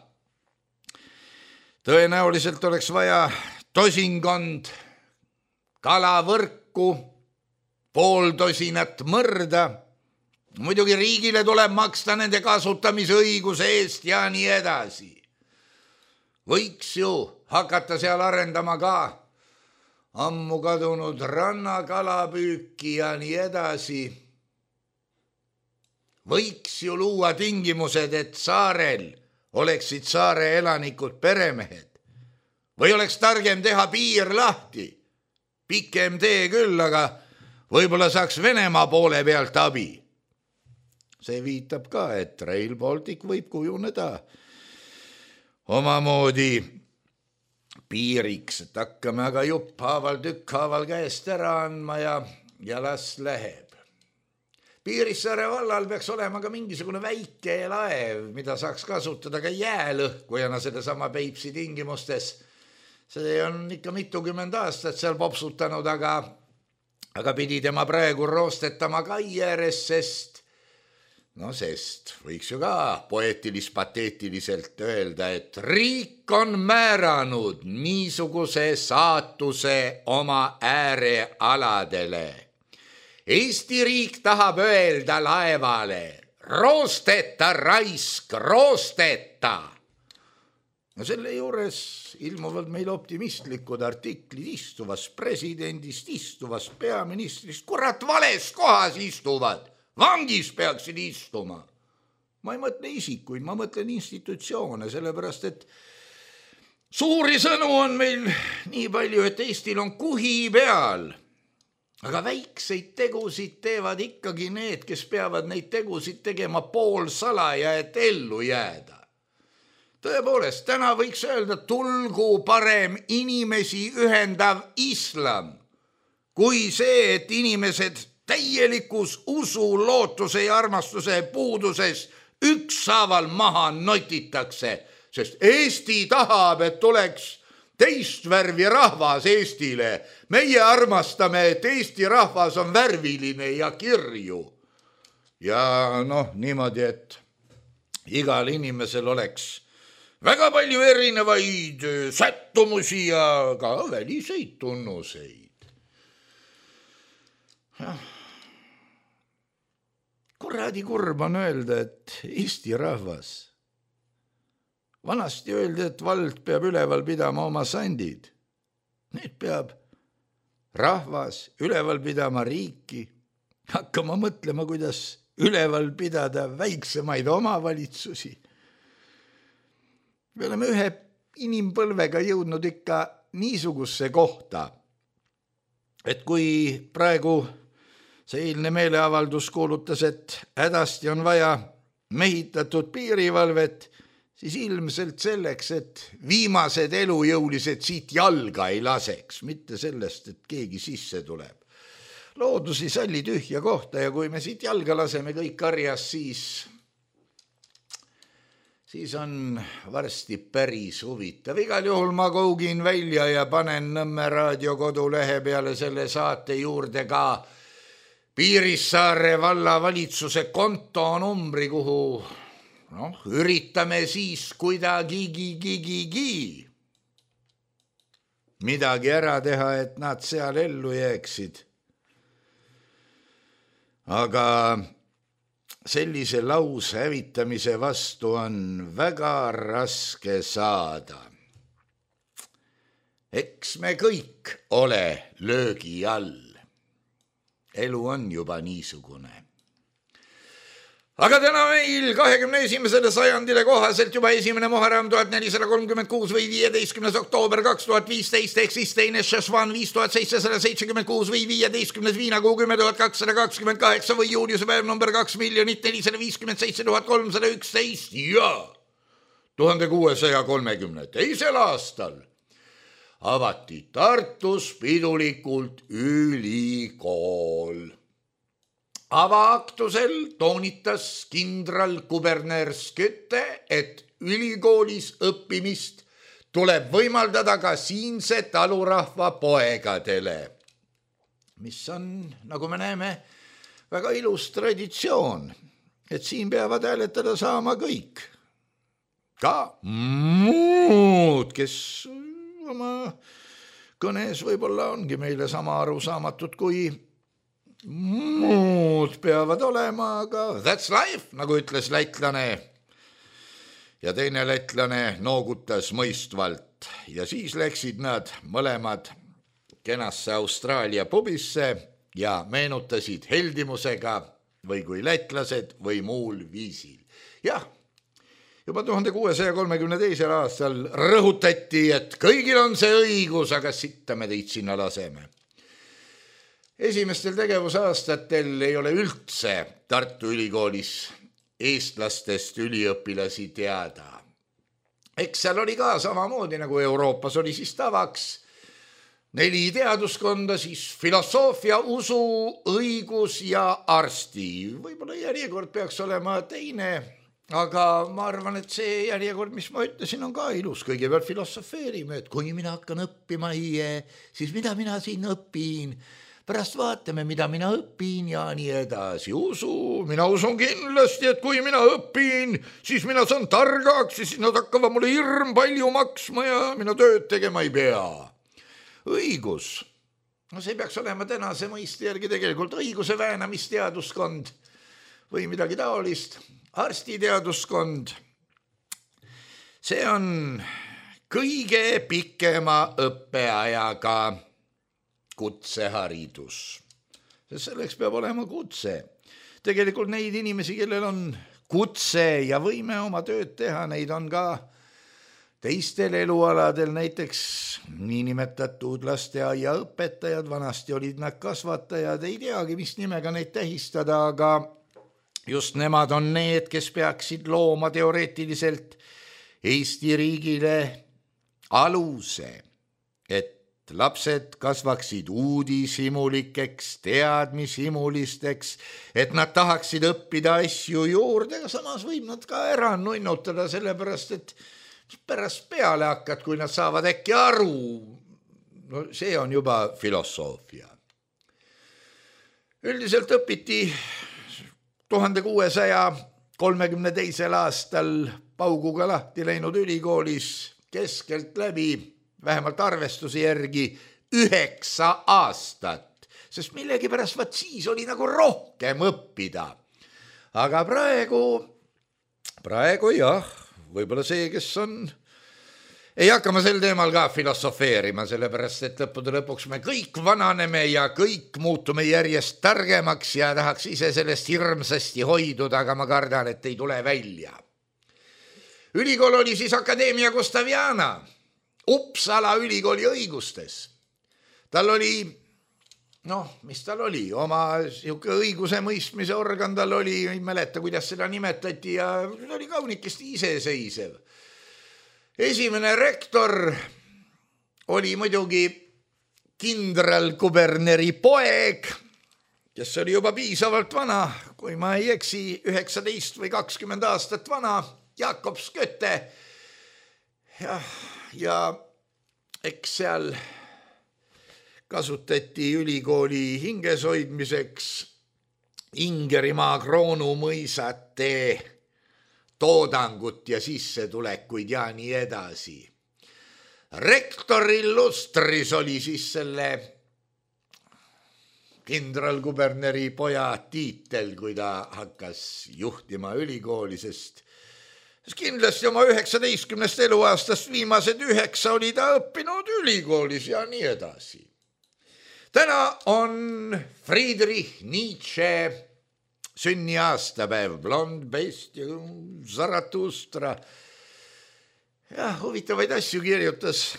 C: tõenäoliselt oleks vaja tosinkond kalavõrku, pool tosinat mõrda. Muidugi riigile tuleb maksta nende kasutamise õiguse eest ja nii edasi. Võiks ju hakata seal arendama ka ammu kadunud rannakalapüüki ja nii edasi. Võiks ju luua tingimused, et saarel oleksid saare elanikud peremehed. Või oleks targem teha piir lahti. Pikem tee küll, aga võib-olla saaks Venemaa poole pealt abi. See viitab ka, et Rail Baltic võib kujuneda omamoodi piiriks, et hakkame aga jupphaaval tükkhaaval käest ära andma ja, ja las läheb. Piirissaare vallal peaks olema ka mingisugune väike laev, mida saaks kasutada ka jäälõhkujana selle sama Peipsi tingimustes. See on ikka mitukümmend aastat seal popsutanud, aga, aga pidi tema praegu roostetama kai ääres, sest no sest võiks ju ka poeetilis-pateetiliselt öelda, et riik on määranud niisuguse saatuse oma äärealadele. Eesti riik tahab öelda laevale, roosteta raisk, roosteta. No selle juures ilmuvad meil optimistlikud artiklid istuvast presidendist, istuvast peaministrist, kurat vales kohas istuvad. Vangis peaksid istuma. Ma ei mõtle isikuid, ma mõtlen institutsioone, sellepärast et suuri sõnu on meil nii palju, et Eestil on kuhi peal. Aga väikseid tegusid teevad ikkagi need, kes peavad neid tegusid tegema pool salaja, et ellu jääda. Tõepoolest, täna võiks öelda, tulgu parem inimesi ühendav islam, kui see, et inimesed täielikus usu, lootuse ja armastuse puuduses ükshaaval maha notitakse, sest Eesti tahab, et oleks teist värvi rahvas Eestile. Meie armastame, et Eesti rahvas on värviline ja kirju. Ja noh, niimoodi, et igal inimesel oleks väga palju erinevaid sättumusi ja ka väliseid tunnuseid. Kuradi kurb on öelda, et Eesti rahvas. Vanasti öeldi, et vald peab üleval pidama oma sandid. Nüüd peab rahvas üleval pidama riiki, hakkama mõtlema, kuidas üleval pidada väiksemaid omavalitsusi. Me oleme ühe inimpõlvega jõudnud ikka niisugusse kohta, et kui praegu see eilne meeleavaldus kuulutas, et hädasti on vaja mehitatud piirivalvet, siis ilmselt selleks, et viimased elujõulised siit jalga ei laseks, mitte sellest, et keegi sisse tuleb. Loodus ei salli tühja kohta ja kui me siit jalga laseme kõik karjas, siis, siis on varsti päris huvitav. Igal juhul ma kougin välja ja panen Nõmme raadio kodulehe peale selle saate juurde ka Piirissaare valla valitsuse kontonumbri, kuhu noh, üritame siis kuidagi gigi midagi ära teha, et nad seal ellu jääksid. aga sellise lause hävitamise vastu on väga raske saada. Eks me kõik ole löögi all. Elu on juba niisugune. Aga täna meil kahekümne esimesele sajandile kohaselt juba esimene Muharram tuhat nelisada kolmkümmend kuus või viieteistkümnes oktoober kaks tuhat viisteist ehk siis teine Šešvan viis tuhat seitsesada seitsekümmend kuus või viieteistkümnes viinakuu kümme tuhat kakssada kakskümmend kaheksa või juuniuse päev number kaks miljonit nelisada viiskümmend seitse tuhat kolmsada üksteist ja tuhande kuuesaja kolmekümne teisel aastal avati Tartus pidulikult ülikool. Avaaktusel toonitas kindralkuberner Skytte, et ülikoolis õppimist tuleb võimaldada ka siinse talurahva poegadele, mis on, nagu me näeme, väga ilus traditsioon, et siin peavad hääletada saama kõik. Ka muud, kes oma kõnes võib-olla ongi meile sama arusaamatud kui muud peavad olema, aga that's life, nagu ütles lätlane. Ja teine lätlane noogutas mõistvalt ja siis läksid nad mõlemad kenasse Austraalia pubisse ja meenutasid heldimusega või kui lätlased või muul viisil. Jah, juba tuhande kuuesaja kolmekümne teisel aastal rõhutati, et kõigil on see õigus, aga sitta me teid sinna laseme. Esimestel tegevusaastatel ei ole üldse Tartu Ülikoolis eestlastest üliõpilasi teada. Eks seal oli ka samamoodi, nagu Euroopas oli siis tavaks. Neli teaduskonda, siis filosoofia, usu, õigus ja arsti. Võib-olla järjekord peaks olema teine, aga ma arvan, et see järjekord, mis ma ütlesin, on ka ilus. Kõigepealt filosofeerime, et kui mina hakkan õppima, siis mida mina siin õpin? Pärast vaatame, mida mina õpin ja nii edasi. Usu, mina usun kindlasti, et kui mina õpin, siis mina saan targaks ja siis nad hakkavad mulle hirm palju maksma ja mina tööd tegema ei pea. Õigus. No see peaks olema tänase mõiste järgi tegelikult õiguse väänamisteaduskond või midagi taolist. Arstiteaduskond. See on kõige pikema õppeajaga kutseharidus. Selleks peab olema kutse. Tegelikult neid inimesi, kellel on kutse ja võime oma tööd teha, neid on ka teistel elualadel, näiteks niinimetatud lasteaiaõpetajad, vanasti olid nad kasvatajad, ei teagi, mis nimega neid tähistada, aga just nemad on need, kes peaksid looma teoreetiliselt Eesti riigile aluse, et lapsed kasvaksid uudishimulikeks, teadmishimulisteks, et nad tahaksid õppida asju juurde, aga samas võib nad ka ära nunnutada, sellepärast, et pärast peale hakkad, kui nad saavad äkki aru. No see on juba filosoofia. Üldiselt õpiti tuhande kuuesaja kolmekümne teisel aastal pauguga lahti läinud ülikoolis keskelt läbi vähemalt arvestuse järgi üheksa aastat, sest millegi pärast vaat siis oli nagu rohkem õppida. Aga praegu, praegu jah, võib-olla see, kes on, ei hakka ma sel teemal ka filosofeerima, sellepärast, et lõppude lõpuks me kõik vananeme ja kõik muutume järjest targemaks ja tahaks ise sellest hirmsasti hoiduda, aga ma kardan, et ei tule välja. Ülikool oli siis Akadeemia Gustaviana, Uppsala ülikooli õigustes. Tal oli, noh, mis tal oli, oma õiguse mõistmise organ tal oli, ei mäleta, kuidas seda nimetati ja ta oli kaunikesti iseseisev. Esimene rektor oli muidugi kindralkuberneri poeg, kes oli juba piisavalt vana, kui ma ei eksi, üheksateist või kakskümmend aastat vana, Jakob Skytte. Ja, ja eks seal kasutati ülikooli hingeshoidmiseks Ingerimaa kroonumõisate toodangut ja sissetulekuid ja nii edasi. Rektor Illustris oli siis selle kindralkuberneri poja tiitel, kui ta hakkas juhtima ülikooli, sest kindlasti oma üheksateistkümnest eluaastast viimased üheksa oli ta õppinud ülikoolis ja nii edasi. Täna on Friedrich Nietzsche sünniaastapäev, blond, beist ja Zarathustra. Jah, huvitavaid asju kirjutas.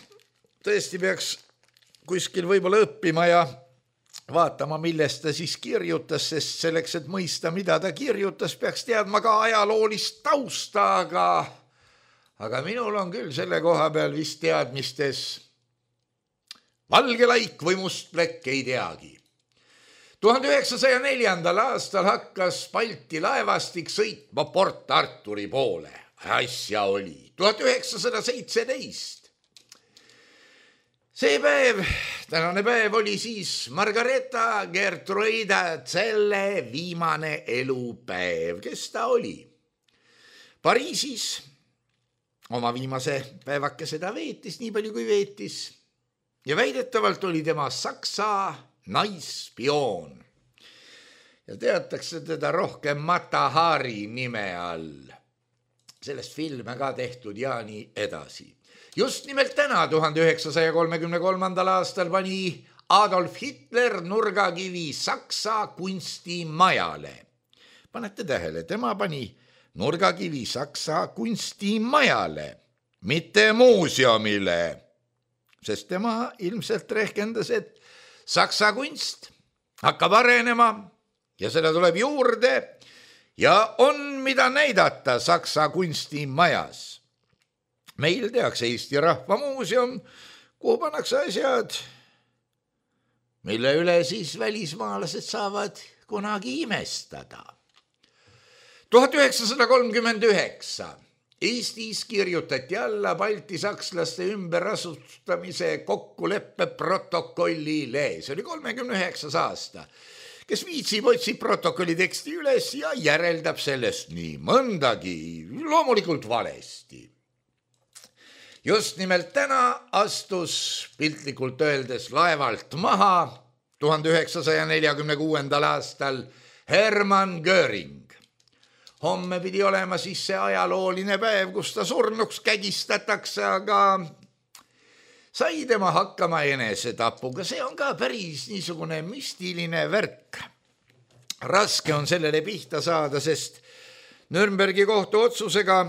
C: Tõesti peaks kuskil võib-olla õppima ja vaatama, millest ta siis kirjutas, sest selleks, et mõista, mida ta kirjutas, peaks teadma ka ajaloolist tausta, aga, aga minul on küll selle koha peal vist teadmistes valge laik või must plekk, ei teagi. tuhande üheksasaja neljandal aastal hakkas Balti laevastik sõitma Port Arturi poole. Asja oli tuhat üheksasada seitseteist. See päev, tänane päev oli siis Margareta Gertruida Zelle viimane elupäev. Kes ta oli? Pariisis oma viimase päevake seda veetis, nii palju kui veetis. Ja väidetavalt oli tema Saksa naisspioon. Ja teatakse teda rohkem Mata Hari nime all. Sellest filme ka tehtud ja nii edasi. Just nimelt täna, tuhande üheksasaja kolmekümne kolmandal aastal pani Adolf Hitler nurgakivi Saksa kunstimajale. Panete tähele, tema pani nurgakivi Saksa kunstimajale, mitte muuseumile. Sest tema ilmselt rehkendas, et Saksa kunst hakkab arenema ja seda tuleb juurde ja on mida näidata Saksa kunstimajas. Meil tehakse Eesti Rahva Muuseum, kuhu pannakse asjad, mille üle siis välismaalased saavad kunagi imestada. tuhat üheksasada kolmkümmend üheksa. Eestis kirjutati alla Balti sakslaste ümberasustamise kokkuleppe protokollile. See oli kolmekümne üheksas aasta. Kes viitsib, otsib protokolli teksti üles ja järeldab sellest nii mõndagi, loomulikult valesti. Just nimelt täna astus piltlikult öeldes laevalt maha tuhande üheksasaja neljakümne kuuendal aastal Hermann Göring. Homme pidi olema siis see ajalooline päev, kus ta surnuks kägistatakse, aga sai tema hakkama enesetapuga. See on ka päris niisugune müstiline värk. Raske on sellele pihta saada, sest Nürnbergi kohtu otsusega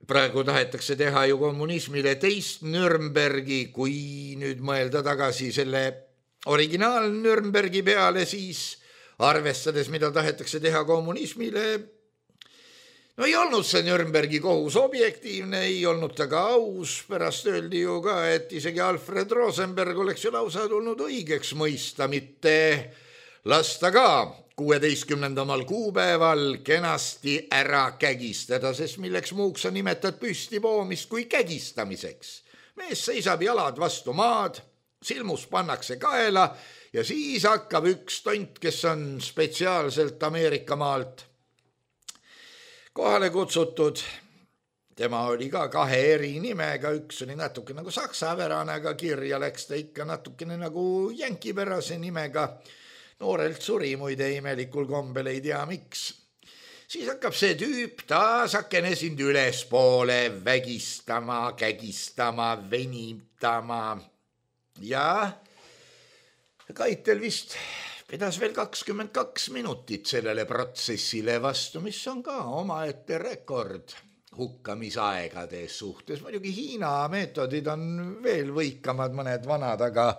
C: praegu tahetakse teha ju kommunismile teist Nürnbergi, kui nüüd mõelda tagasi selle originaal Nürnbergi peale, siis arvestades, mida tahetakse teha kommunismile, no ei olnud see Nürnbergi kohus objektiivne, ei olnud ta ka aus, pärast öeldi ju ka, et isegi Alfred Rosenberg oleks ju lausa tulnud õigeks mõista, mitte lasta ka kuueteistkümnendamal kuupäeval kenasti ära kägistada, sest milleks muuks sa nimetad püsti poomist kui kägistamiseks. Mees seisab jalad vastu maad, silmus pannakse kaela ja siis hakkab üks tont, kes on spetsiaalselt Ameerika maalt kohale kutsutud. Tema oli ka kahe eri nimega, üks oli natuke nagu saksapärane, aga kirja läks ta ikka natukene nagu jänkipärase nimega. Noorelt suri muide imelikul kombel, ei tea miks. Siis hakkab see tüüp taasakene sind ülespoole vägistama, kägistama, venitama. Ja Kaitel vist pidas veel kakskümmend kaks minutit sellele protsessile vastu, mis on ka omaette rekord hukkamisaegade suhtes. Muidugi Hiina meetodid on veel võikamad, mõned vanad, aga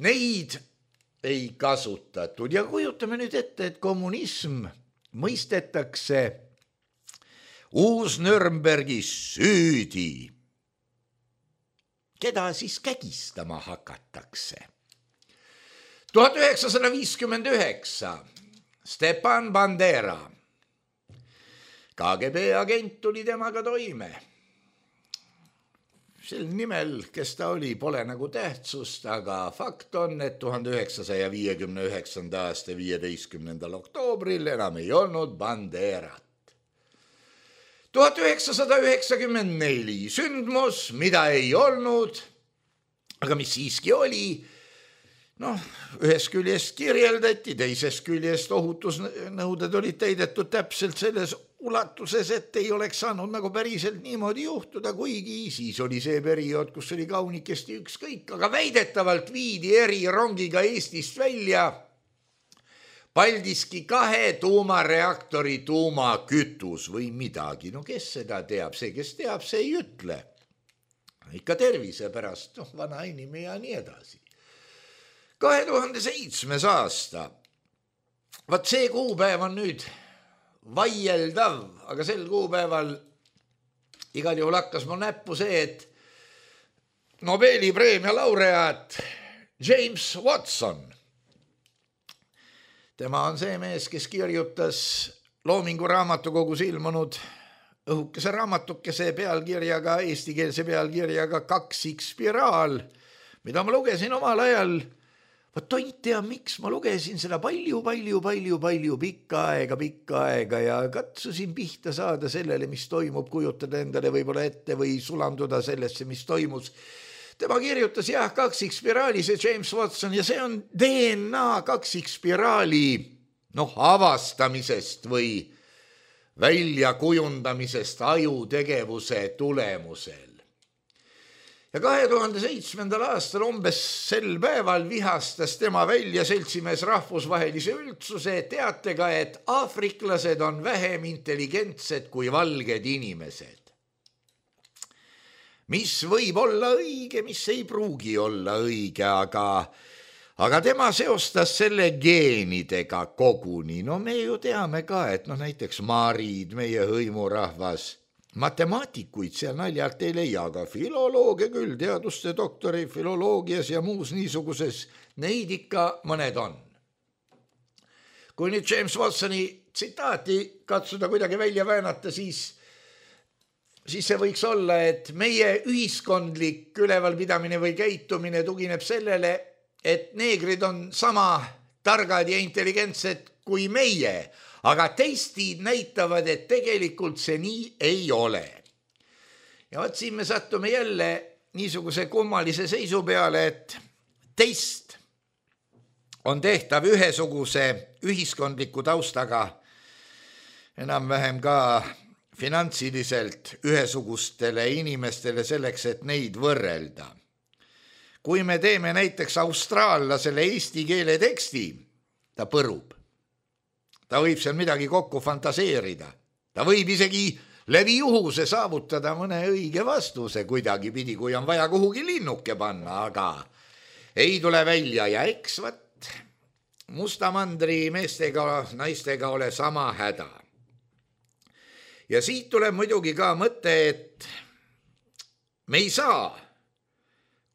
C: neid ei kasutatud. Ja kujutame nüüd ette, et kommunism mõistetakse Uus-Nürnbergis süüdi. Keda siis kägistama hakatakse? tuhat üheksasada viiskümmend üheksa. Stepan Bandera. K G B agent tuli temaga toime. Sel nimel, kes ta oli, pole nagu tähtsust, aga fakt on, et tuhande üheksasaja viiekümne üheksanda aasta viieteistkümnendal oktoobril enam ei olnud Banderat. tuhat üheksasada üheksakümmend neli sündmus, mida ei olnud, aga mis siiski oli. noh, ühest küljest kirjeldati, teisest küljest ohutusnõuded olid täidetud täpselt selles ulatuses, et ei oleks saanud nagu päriselt niimoodi juhtuda, kuigi siis oli see periood, kus oli kaunikesti ükskõik, aga väidetavalt viidi erirongiga Eestist välja Paldiski kahe tuumareaktori tuumakütus või midagi. No kes seda teab? See, kes teab, see ei ütle. Ikka tervise pärast, noh, vana inimene ja nii edasi. kahe tuhande seitsmes aasta. Vaat see kuupäev on nüüd vaieldav, aga sel kuupäeval igal juhul hakkas mu näppu see, et Nobeli preemia laureaat James Watson, tema on see mees, kes kirjutas Loomingu raamatukogus ilmunud õhukese raamatukese pealkirjaga, eestikeelse pealkirjaga Kaksikspiraal, mida ma lugesin omal ajal. Vot tont tea, miks ma lugesin seda palju, palju, palju, palju pikka aega, pikka aega ja katsusin pihta saada sellele, mis toimub, kujutada endale võib-olla ette või sulanduda sellesse, mis toimus. Tema kirjutas jah, kaksikspiraali, see James Watson, ja see on D N A kaksikspiraali noh, avastamisest või väljakujundamisest ajutegevuse tulemusel. Ja kahe tuhande seitsmendal aastal umbes sel päeval vihastas tema välja seltsimees rahvusvahelise üldsuse teatega, et aafriklased on vähem intelligentsed kui valged inimesed. Mis võib olla õige, mis ei pruugi olla õige, aga, aga tema seostas selle geenidega koguni. No me ju teame ka, et no näiteks maarid, meie hõimurahvas, matemaatikuid seal naljalt ei leia, aga filoloogia küll, teaduste doktori filoloogias ja muus niisuguses, neid ikka mõned on. Kui nüüd James Watsoni tsitaati katsuda kuidagi välja väänata, siis, siis see võiks olla, et meie ühiskondlik ülevalpidamine või käitumine tugineb sellele, et neegrid on sama targad ja intelligentsed kui meie, aga testid näitavad, et tegelikult see nii ei ole. Ja vaat siin me sattume jälle niisuguse kummalise seisu peale, et test on tehtav ühesuguse ühiskondliku taustaga, enam-vähem ka finantsiliselt ühesugustele inimestele selleks, et neid võrrelda. Kui me teeme näiteks austraallasele eesti keele teksti, ta põrub. Ta võib seal midagi kokku fantaseerida. Ta võib isegi läbi juhuse saavutada mõne õige vastuse kuidagi pidi, kui on vaja kuhugi linnuke panna, aga ei tule välja ja eks vat musta mandri meestega, naistega ole sama häda. Ja siit tuleb muidugi ka mõte, et me ei saa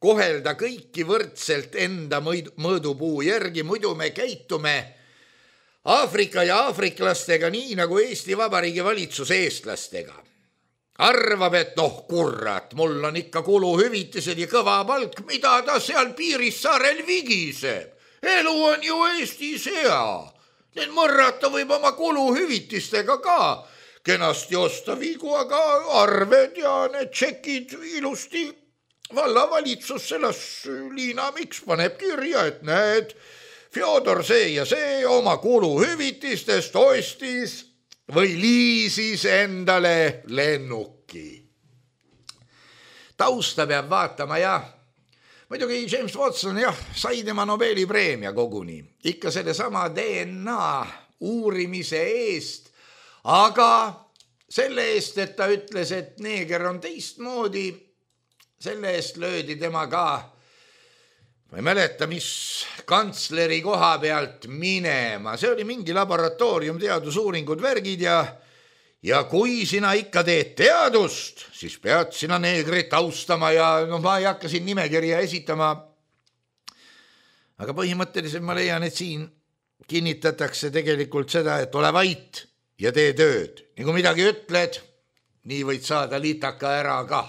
C: kohelda kõiki võrdselt enda mõõdupuu järgi, muidu me käitume Aafrika ja aafriklastega nii nagu Eesti Vabariigi valitsus eestlastega. Arvab, et noh kurrat, mul on ikka kuluhüvitised ja kõva palk, mida ta seal Piirissaarel vigiseb. Elu on ju Eestis hea. Need mõrrata võib oma kuluhüvitistega ka kenasti osta vigu, aga arved ja need tšekid ilusti vallavalitsus sellest Liina Miks paneb kirja, et näed, Fjodor see ja see oma kuluhüvitistest ostis või liisis endale lennuki. Tausta peab vaatama, jah. Muidugi James Watson, jah, sai tema Nobeli preemia koguni. Ikka selle sama D N A uurimise eest, aga selle eest, et ta ütles, et neeger on teistmoodi, selle eest löödi tema ka ma ei mäleta, mis kantsleri koha pealt minema. See oli mingi laboratoorium, teadusuuringud, värgid ja, ja kui sina ikka teed teadust, siis pead sina neegrit austama ja no ma ei hakka siin nimekirja esitama. Aga põhimõtteliselt ma leian, et siin kinnitatakse tegelikult seda, et ole vait ja tee tööd. Nii kui midagi ütled, nii võid saada litaka ära ka.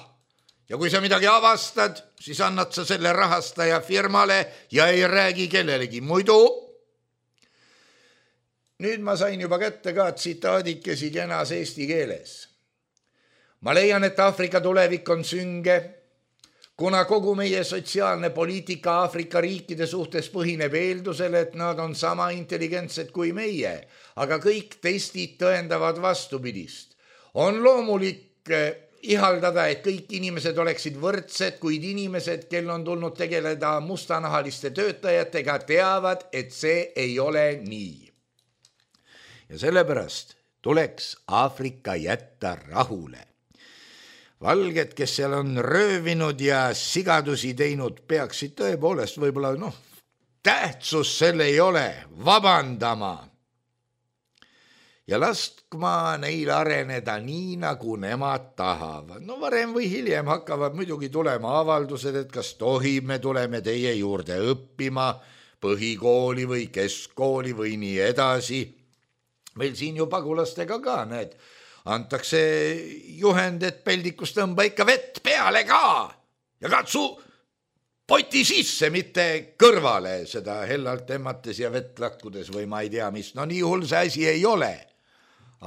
C: Ja kui sa midagi avastad, siis annad sa selle rahastaja firmale ja ei räägi kellelegi. Muidu, nüüd ma sain juba kätte ka tsitaadikesi kenas eesti keeles. Ma leian, et Aafrika tulevik on sünge. kuna kogu meie sotsiaalne poliitika Aafrika riikide suhtes põhineb eeldusel, et nad on sama intelligentsed kui meie, aga kõik testid tõendavad vastupidist. On loomulik ihaldada, et kõik inimesed oleksid võrdsed, kuid inimesed, kel on tulnud tegeleda mustanahaliste töötajatega, teavad, et see ei ole nii. Ja sellepärast tuleks Aafrika jätta rahule. Valged, kes seal on röövinud ja sigadusi teinud, peaksid tõepoolest võib-olla, noh, tähtsus selle ei ole, vabandama. Ja laskma neil areneda nii, nagu nemad tahavad. No varem või hiljem hakkavad muidugi tulema avaldused, et kas tohib, me tuleme teie juurde õppima põhikooli või keskkooli või nii edasi. Meil siin ju pagulastega ka, need antakse juhend, et peldikus tõmba ikka vett peale ka ja katsu poti sisse, mitte kõrvale seda hellalt emmates ja vett lakkudes või ma ei tea mis. No nii hull see asi ei ole.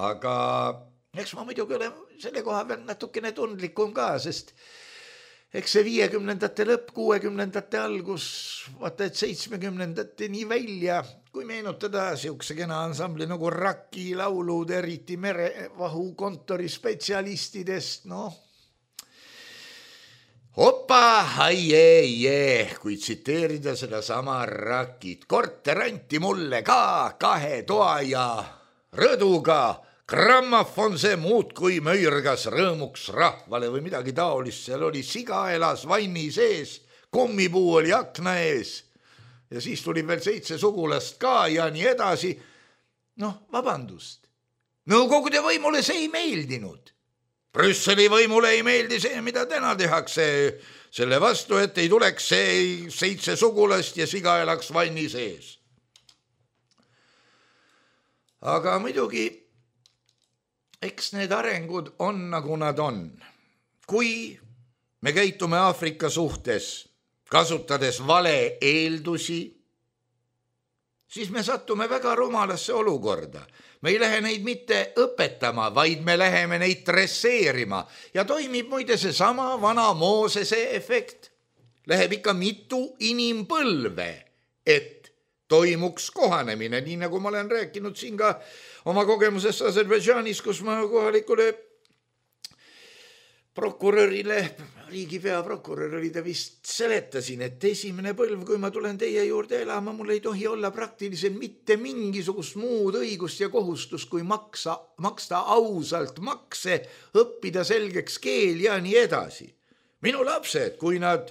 C: Aga eks ma muidugi olen selle koha peal natukene tundlikum ka, sest eks see viiekümnendate lõpp, kuuekümnendate algus, vaata et seitsmekümnendate nii välja, kui meenutada siukse kena ansambli nagu Raki laulud, eriti merevahu kontori spetsialistidest, noh. Opa, aie, kui tsiteerida seda sama Rakit, korter anti mulle ka kahe toa ja rõduga, grammafon see muud kui möirgas rõõmuks rahvale või midagi taolist, seal oli siga elas vanni sees, kommipuu oli akna ees ja siis tuli veel seitse sugulast ka ja nii edasi. Noh, vabandust, Nõukogude võimule see ei meeldinud. Brüsseli võimule ei meeldi see, mida täna tehakse, selle vastu, et ei tuleks see seitse sugulast ja siga elaks vanni sees. Aga muidugi, eks need arengud on nagu nad on. Kui me käitume Aafrika suhtes, kasutades vale eeldusi, siis me sattume väga rumalasse olukorda. Me ei lähe neid mitte õpetama, vaid me läheme neid dresseerima ja toimib muide see sama vana Moosese efekt. Läheb ikka mitu inimpõlve, et toimuks kohanemine, nii nagu ma olen rääkinud siin ka oma kogemusest Aserbaidžaanis, kus ma kohalikule prokurörile, riigi peaprokurörile vist seletasin, et esimene põlv, kui ma tulen teie juurde elama, mul ei tohi olla praktiliselt mitte mingisugust muud õigust ja kohustust, kui maksa, maksta ausalt makse, õppida selgeks keel ja nii edasi. Minu lapsed, kui nad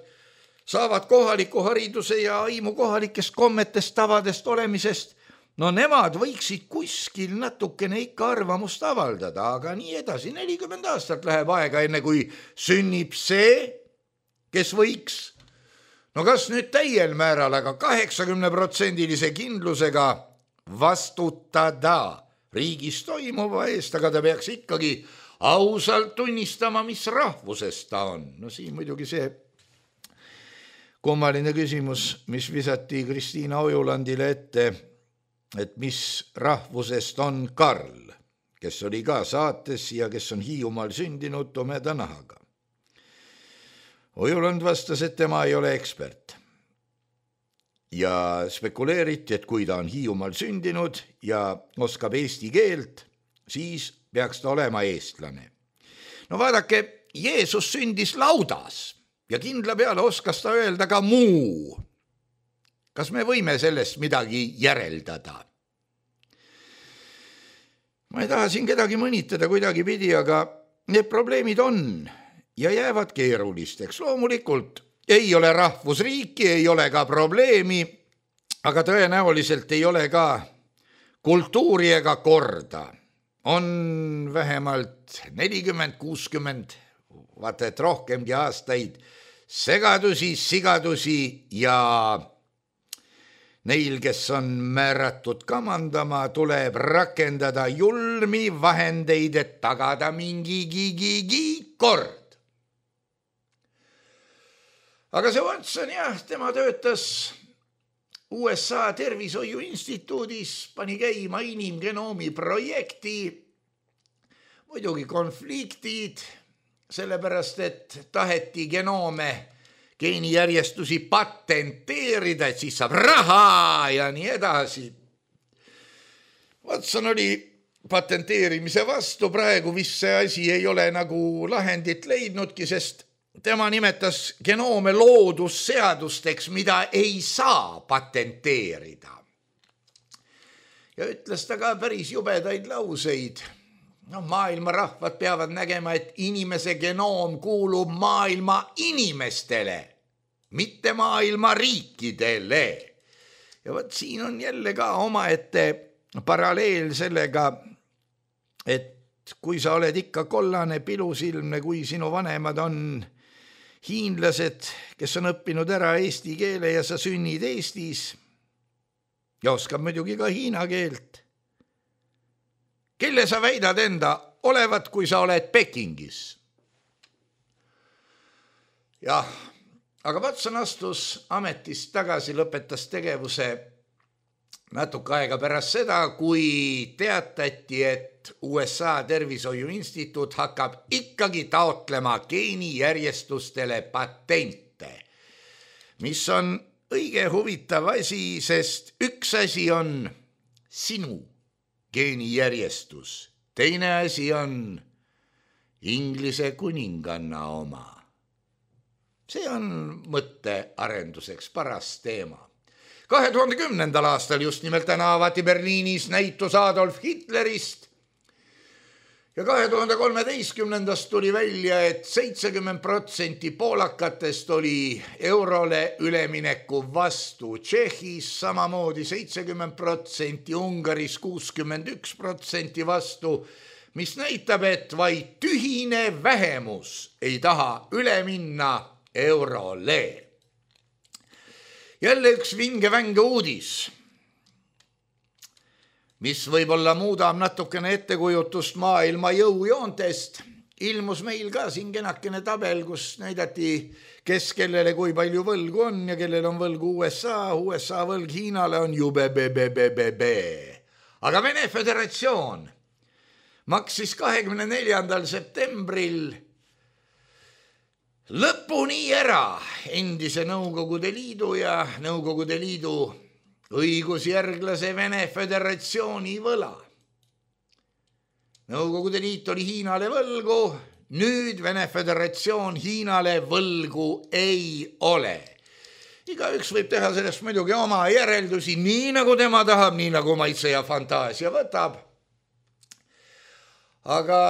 C: saavad kohaliku hariduse ja aimu kohalikest kommetest, tavadest olemisest, no nemad võiksid kuskil natukene ikka arvamust avaldada, aga nii edasi, nelikümmend aastat läheb aega, enne kui sünnib see, kes võiks, no kas nüüd täiel määral, aga kaheksakümne protsendilise kindlusega vastutada riigis toimuva eest, aga ta peaks ikkagi ausalt tunnistama, mis rahvusest ta on. No siin muidugi see kummaline küsimus, mis visati Kristiina Ojulandile ette, et mis rahvusest on Karl, kes oli ka saates ja kes on Hiiumaal sündinud tumeda nahaga. Ojuland vastas, et tema ei ole ekspert. Ja spekuleeriti, et kui ta on Hiiumaal sündinud ja oskab eesti keelt, siis peaks ta olema eestlane. No vaadake, Jeesus sündis laudas ja kindla peale oskas ta öelda ka muu. Kas me võime sellest midagi järeldada? Ma ei taha siin kedagi mõnitada kuidagi pidi, aga need probleemid on ja jäävad keerulisteks. Loomulikult ei ole rahvusriiki, ei ole ka probleemi, aga tõenäoliselt ei ole ka kultuuri ega korda. On vähemalt nelikümmend, kuuskümmend, vaata et rohkemgi aastaid segadusi, sigadusi ja neil, kes on määratud kamandama, tuleb rakendada julmi vahendeid, et tagada mingi gigi kord. Aga see Watson, jah, tema töötas U S A Tervishoiu Instituudis, pani käima inimgenoomi projekti, muidugi konfliktid, sellepärast, et taheti genoome geenijärjestusi patenteerida, et siis saab raha ja nii edasi. Watson oli patenteerimise vastu, praegu vist see asi ei ole nagu lahendit leidnudki, sest tema nimetas genoome loodusseadusteks, mida ei saa patenteerida. Ja ütles ta ka päris jubedaid lauseid. No, maailma rahvad peavad nägema, et inimese genoom kuulub maailma inimestele, mitte maailma riikidele. Ja võt siin on jälle ka omaette paralleel sellega, et kui sa oled ikka kollane, pilusilmne, kui sinu vanemad on hiinlased, kes on õppinud ära eesti keele ja sa sünnid Eestis ja oskab muidugi ka hiina keelt. Kelle sa väidad enda olevat, kui sa oled Pekingis? Jah, aga Watson astus ametist tagasi, lõpetas tegevuse natuke aega pärast seda, kui teatati, et U S A tervishoiuinstituut hakkab ikkagi taotlema geenijärjestustele patente, mis on õige huvitav asi, sest üks asi on sinu geenijärjestus, teine asi on Inglise kuninganna oma. See on mõttearenduseks paras teema. kahe tuhande kümnendal aastal just nimelt täna avati Berliinis näitus Adolf Hitlerist ja kahe tuhande kolmeteistkümnendast tuli välja, et seitsekümmend protsenti poolakatest oli eurole ülemineku vastu, Tšehhis samamoodi seitsekümmend protsenti, Ungaris kuuskümmend üks protsenti vastu, mis näitab, et vaid tühine vähemus ei taha üle minna eurole. Jälle üks vinge-vänge uudis, mis võib-olla muudab natukene ettekujutust maailma jõujoontest. Ilmus meil ka siin kenakene tabel, kus näidati, kes kellele kui palju võlgu on ja kellel on võlgu U S A. U S A võlg Hiinale on jube be-be-be-be-be. Aga Vene Föderatsioon maksis kahekümne neljandal septembril lõpuni ära endise Nõukogude Liidu ja Nõukogude Liidu õigusjärglase Vene Föderatsiooni võla. Nõukogude Liit oli Hiinale võlgu, nüüd Vene Föderatsioon Hiinale võlgu ei ole. Igaüks võib teha sellest muidugi oma järeldusi, nii nagu tema tahab, nii nagu maitse ja fantaasia võtab. Aga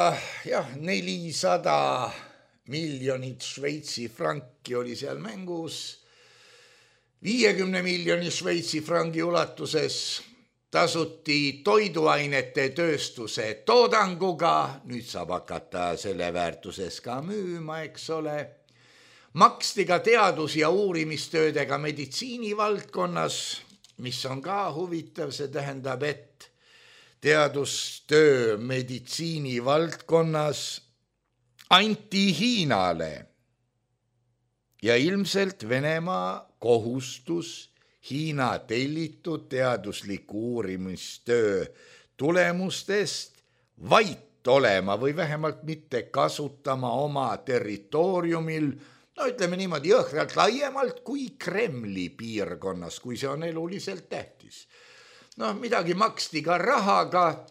C: jah, nelisada miljonit Šveitsi franki oli seal mängus, viiekümne miljoni Šveitsi frangi ulatuses tasuti toiduainete tööstuse toodanguga, nüüd saab hakata selle väärtuses ka müüma, eks ole. Maksti ka teadus- ja uurimistöödega meditsiinivaldkonnas, mis on ka huvitav, see tähendab, et teadustöö meditsiinivaldkonnas anti Hiinale ja ilmselt Venemaa kohustus Hiina tellitud teadusliku uurimistöö tulemustest vait olema või vähemalt mitte kasutama oma territooriumil, no ütleme niimoodi jõhkralt laiemalt kui Kremli piirkonnas, kui see on eluliselt tähtis. No midagi maksti ka rahaga,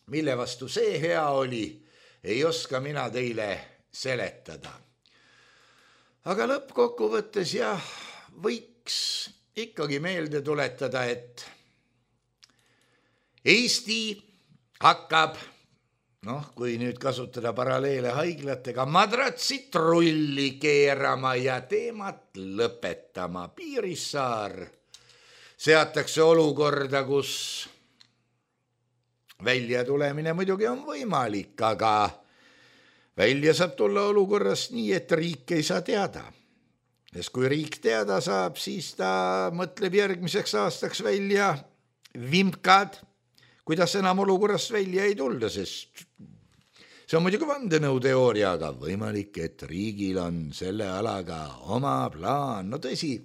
C: mille vastu see hea oli, ei oska mina teile seletada. Aga lõppkokkuvõttes jah, võiks ikkagi meelde tuletada, et Eesti hakkab, noh, kui nüüd kasutada paralleele haiglatega, madratsit rulli keerama ja teemat lõpetama. Piirissaar seatakse olukorda, kus välja tulemine muidugi on võimalik, aga välja saab tulla olukorrast nii, et riik ei saa teada. Sest kui riik teada saab, siis ta mõtleb järgmiseks aastaks välja vimkad, kuidas enam olukorrast välja ei tulda, sest see on muidugi vandenõuteooria, aga võimalik, et riigil on selle alaga oma plaan. No tõsi,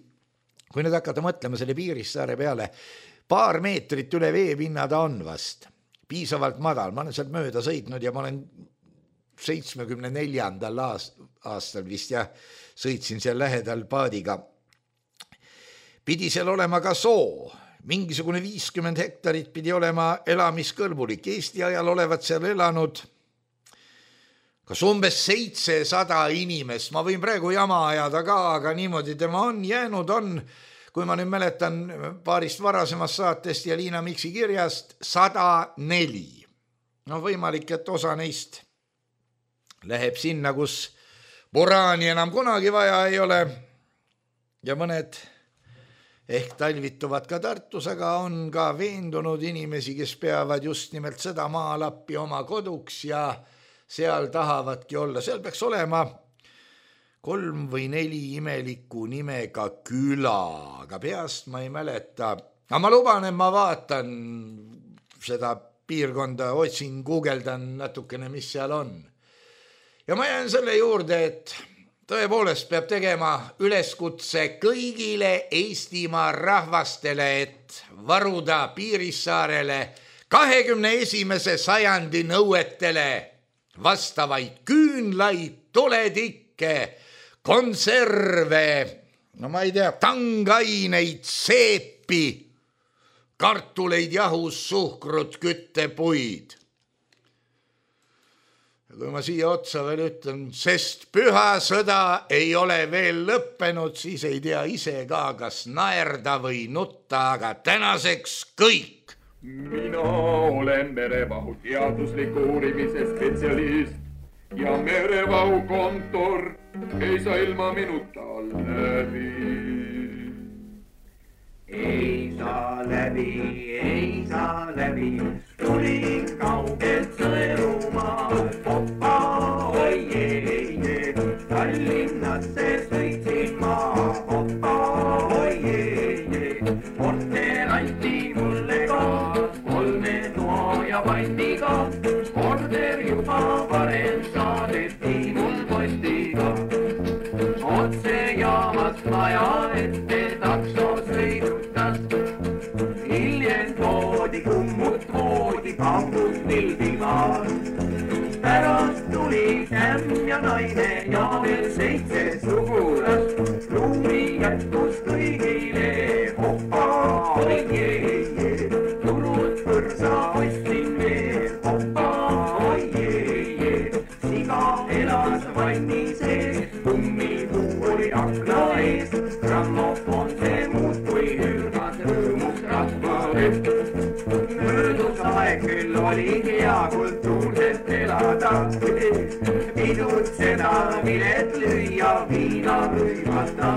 C: kui nüüd hakata mõtlema selle Piirissaare peale, paar meetrit üle veepinna ta on vast, piisavalt madal, ma olen sealt mööda sõitnud ja ma olen seitsmekümne neljandal aastal vist jah, sõitsin seal lähedal paadiga. Pidi seal olema ka soo, mingisugune viiskümmend hektarit pidi olema elamiskõlbulik. Eesti ajal olevat seal elanud kas umbes seitsesada inimest. Ma võin praegu jama ajada ka, aga niimoodi tema on jäänud on, kui ma nüüd mäletan paarist varasemast saatest ja Liina Miksi kirjast, sada neli. No võimalik, et osa neist läheb sinna, kus buraani enam kunagi vaja ei ole ja mõned ehk talvituvad ka Tartus, aga on ka veendunud inimesi, kes peavad just nimelt seda maalappi oma koduks ja seal tahavadki olla. Seal peaks olema kolm või neli imeliku nimega küla, aga peast ma ei mäleta. Aga ma luban, et ma vaatan seda piirkonda, otsin, guugeldan natukene, mis seal on. Ja ma jään selle juurde, et tõepoolest peab tegema üleskutse kõigile Eestimaa rahvastele, et varuda Piirissaarele kahekümne esimese sajandi nõuetele vastavaid küünlaid, tuletikke, konserve, no ma ei tea, tangaineid, seepi, kartuleid, jahus, suhkrut, küttepuid. Kui ma siia otsa veel ütlen, sest püha sõda ei ole veel lõppenud, siis ei tea ise ka, kas naerda või nutta, aga tänaseks kõik.
D: Mina olen merevahu teadusliku uurimise spetsialist ja merevahu kontor ei saa ilma minuta läbi. Ei saa läbi, ei saa läbi, tulin kaugelt Sõerumaal, hoppa, oi ei, ei, Tallinnasse sõitsin ma, hoppa, oi ei, ei, korter anti mulle kaas, kolme toa ja pandiga, korter juba varem saadeti mul postiga, otse jaamast maja ette takso sõidutas, hiljem toodi kummut voodi pambus pildimaal. Pärast tuli kämm ja naine ja veel seitse sugulast, ruumi jätkus kõigile, hoppa, oi ei, tulud põrsa ostsin veel, hoppa, oi ei, siga elas vanni sees, kummipuu oli akna ees, grammofon see muudkui hürgas rõõmus rahvale. Möödus aeg küll oli hea kultuurselt elada, pidutseda, vilet lüüa, viina rühmata.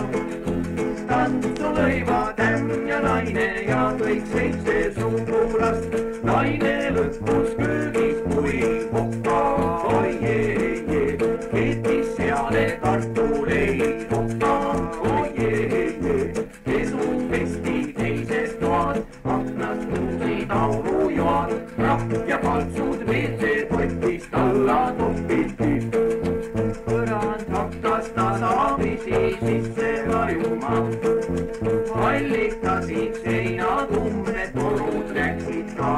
D: Tantsu lõiva tämm ja naine ja kõik seitse sugulast, naine lõpus köögis kui hoppa, oi ei, keetis seale kartuleid, hoppa, oi ei, kesu pesti teises toad, aknast tuusid aurujoad, rahv ja paltsud veetsed võttis alla topiti. Põrand hakkas tasapisi sisse vajuma, allikasid seinatumme, torud rääksid ka.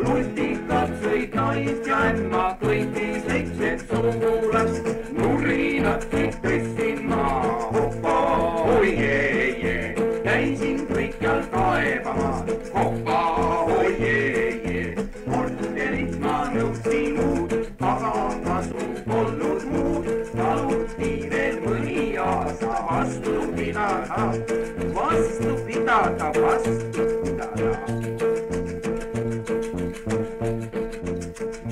D: Lutikad sõid naist ja ämma kõiki seitset sugulast, nurinatid tõstin ma, hoppa, oi ei, käisin kõikjal kaebamas, hoppa, oi ei, korterit ma nõudsin muud, aga kasu polnud muud, taluti veel mõni aasa vastu pidada, vastu pidada, vastu pidada.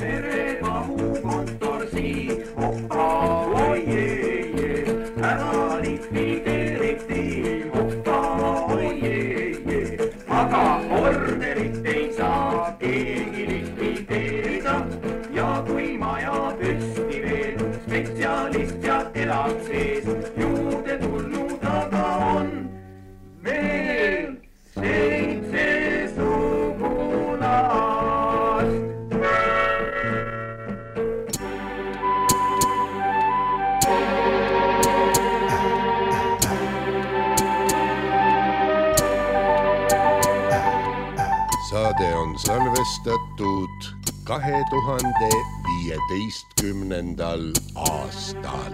D: Merevahu kontor siis, hoppa, oi ei, ära likvideeriti, hoppa, oi ei, aga orderit ei saa keegi likvideerida ja kui maja püsti veel spetsialist ja elab sees, juurde tulnud aga on veel seitse sugulast.
B: Saade on salvestatud kahe tuhande
E: viieteistkümnendal aastal.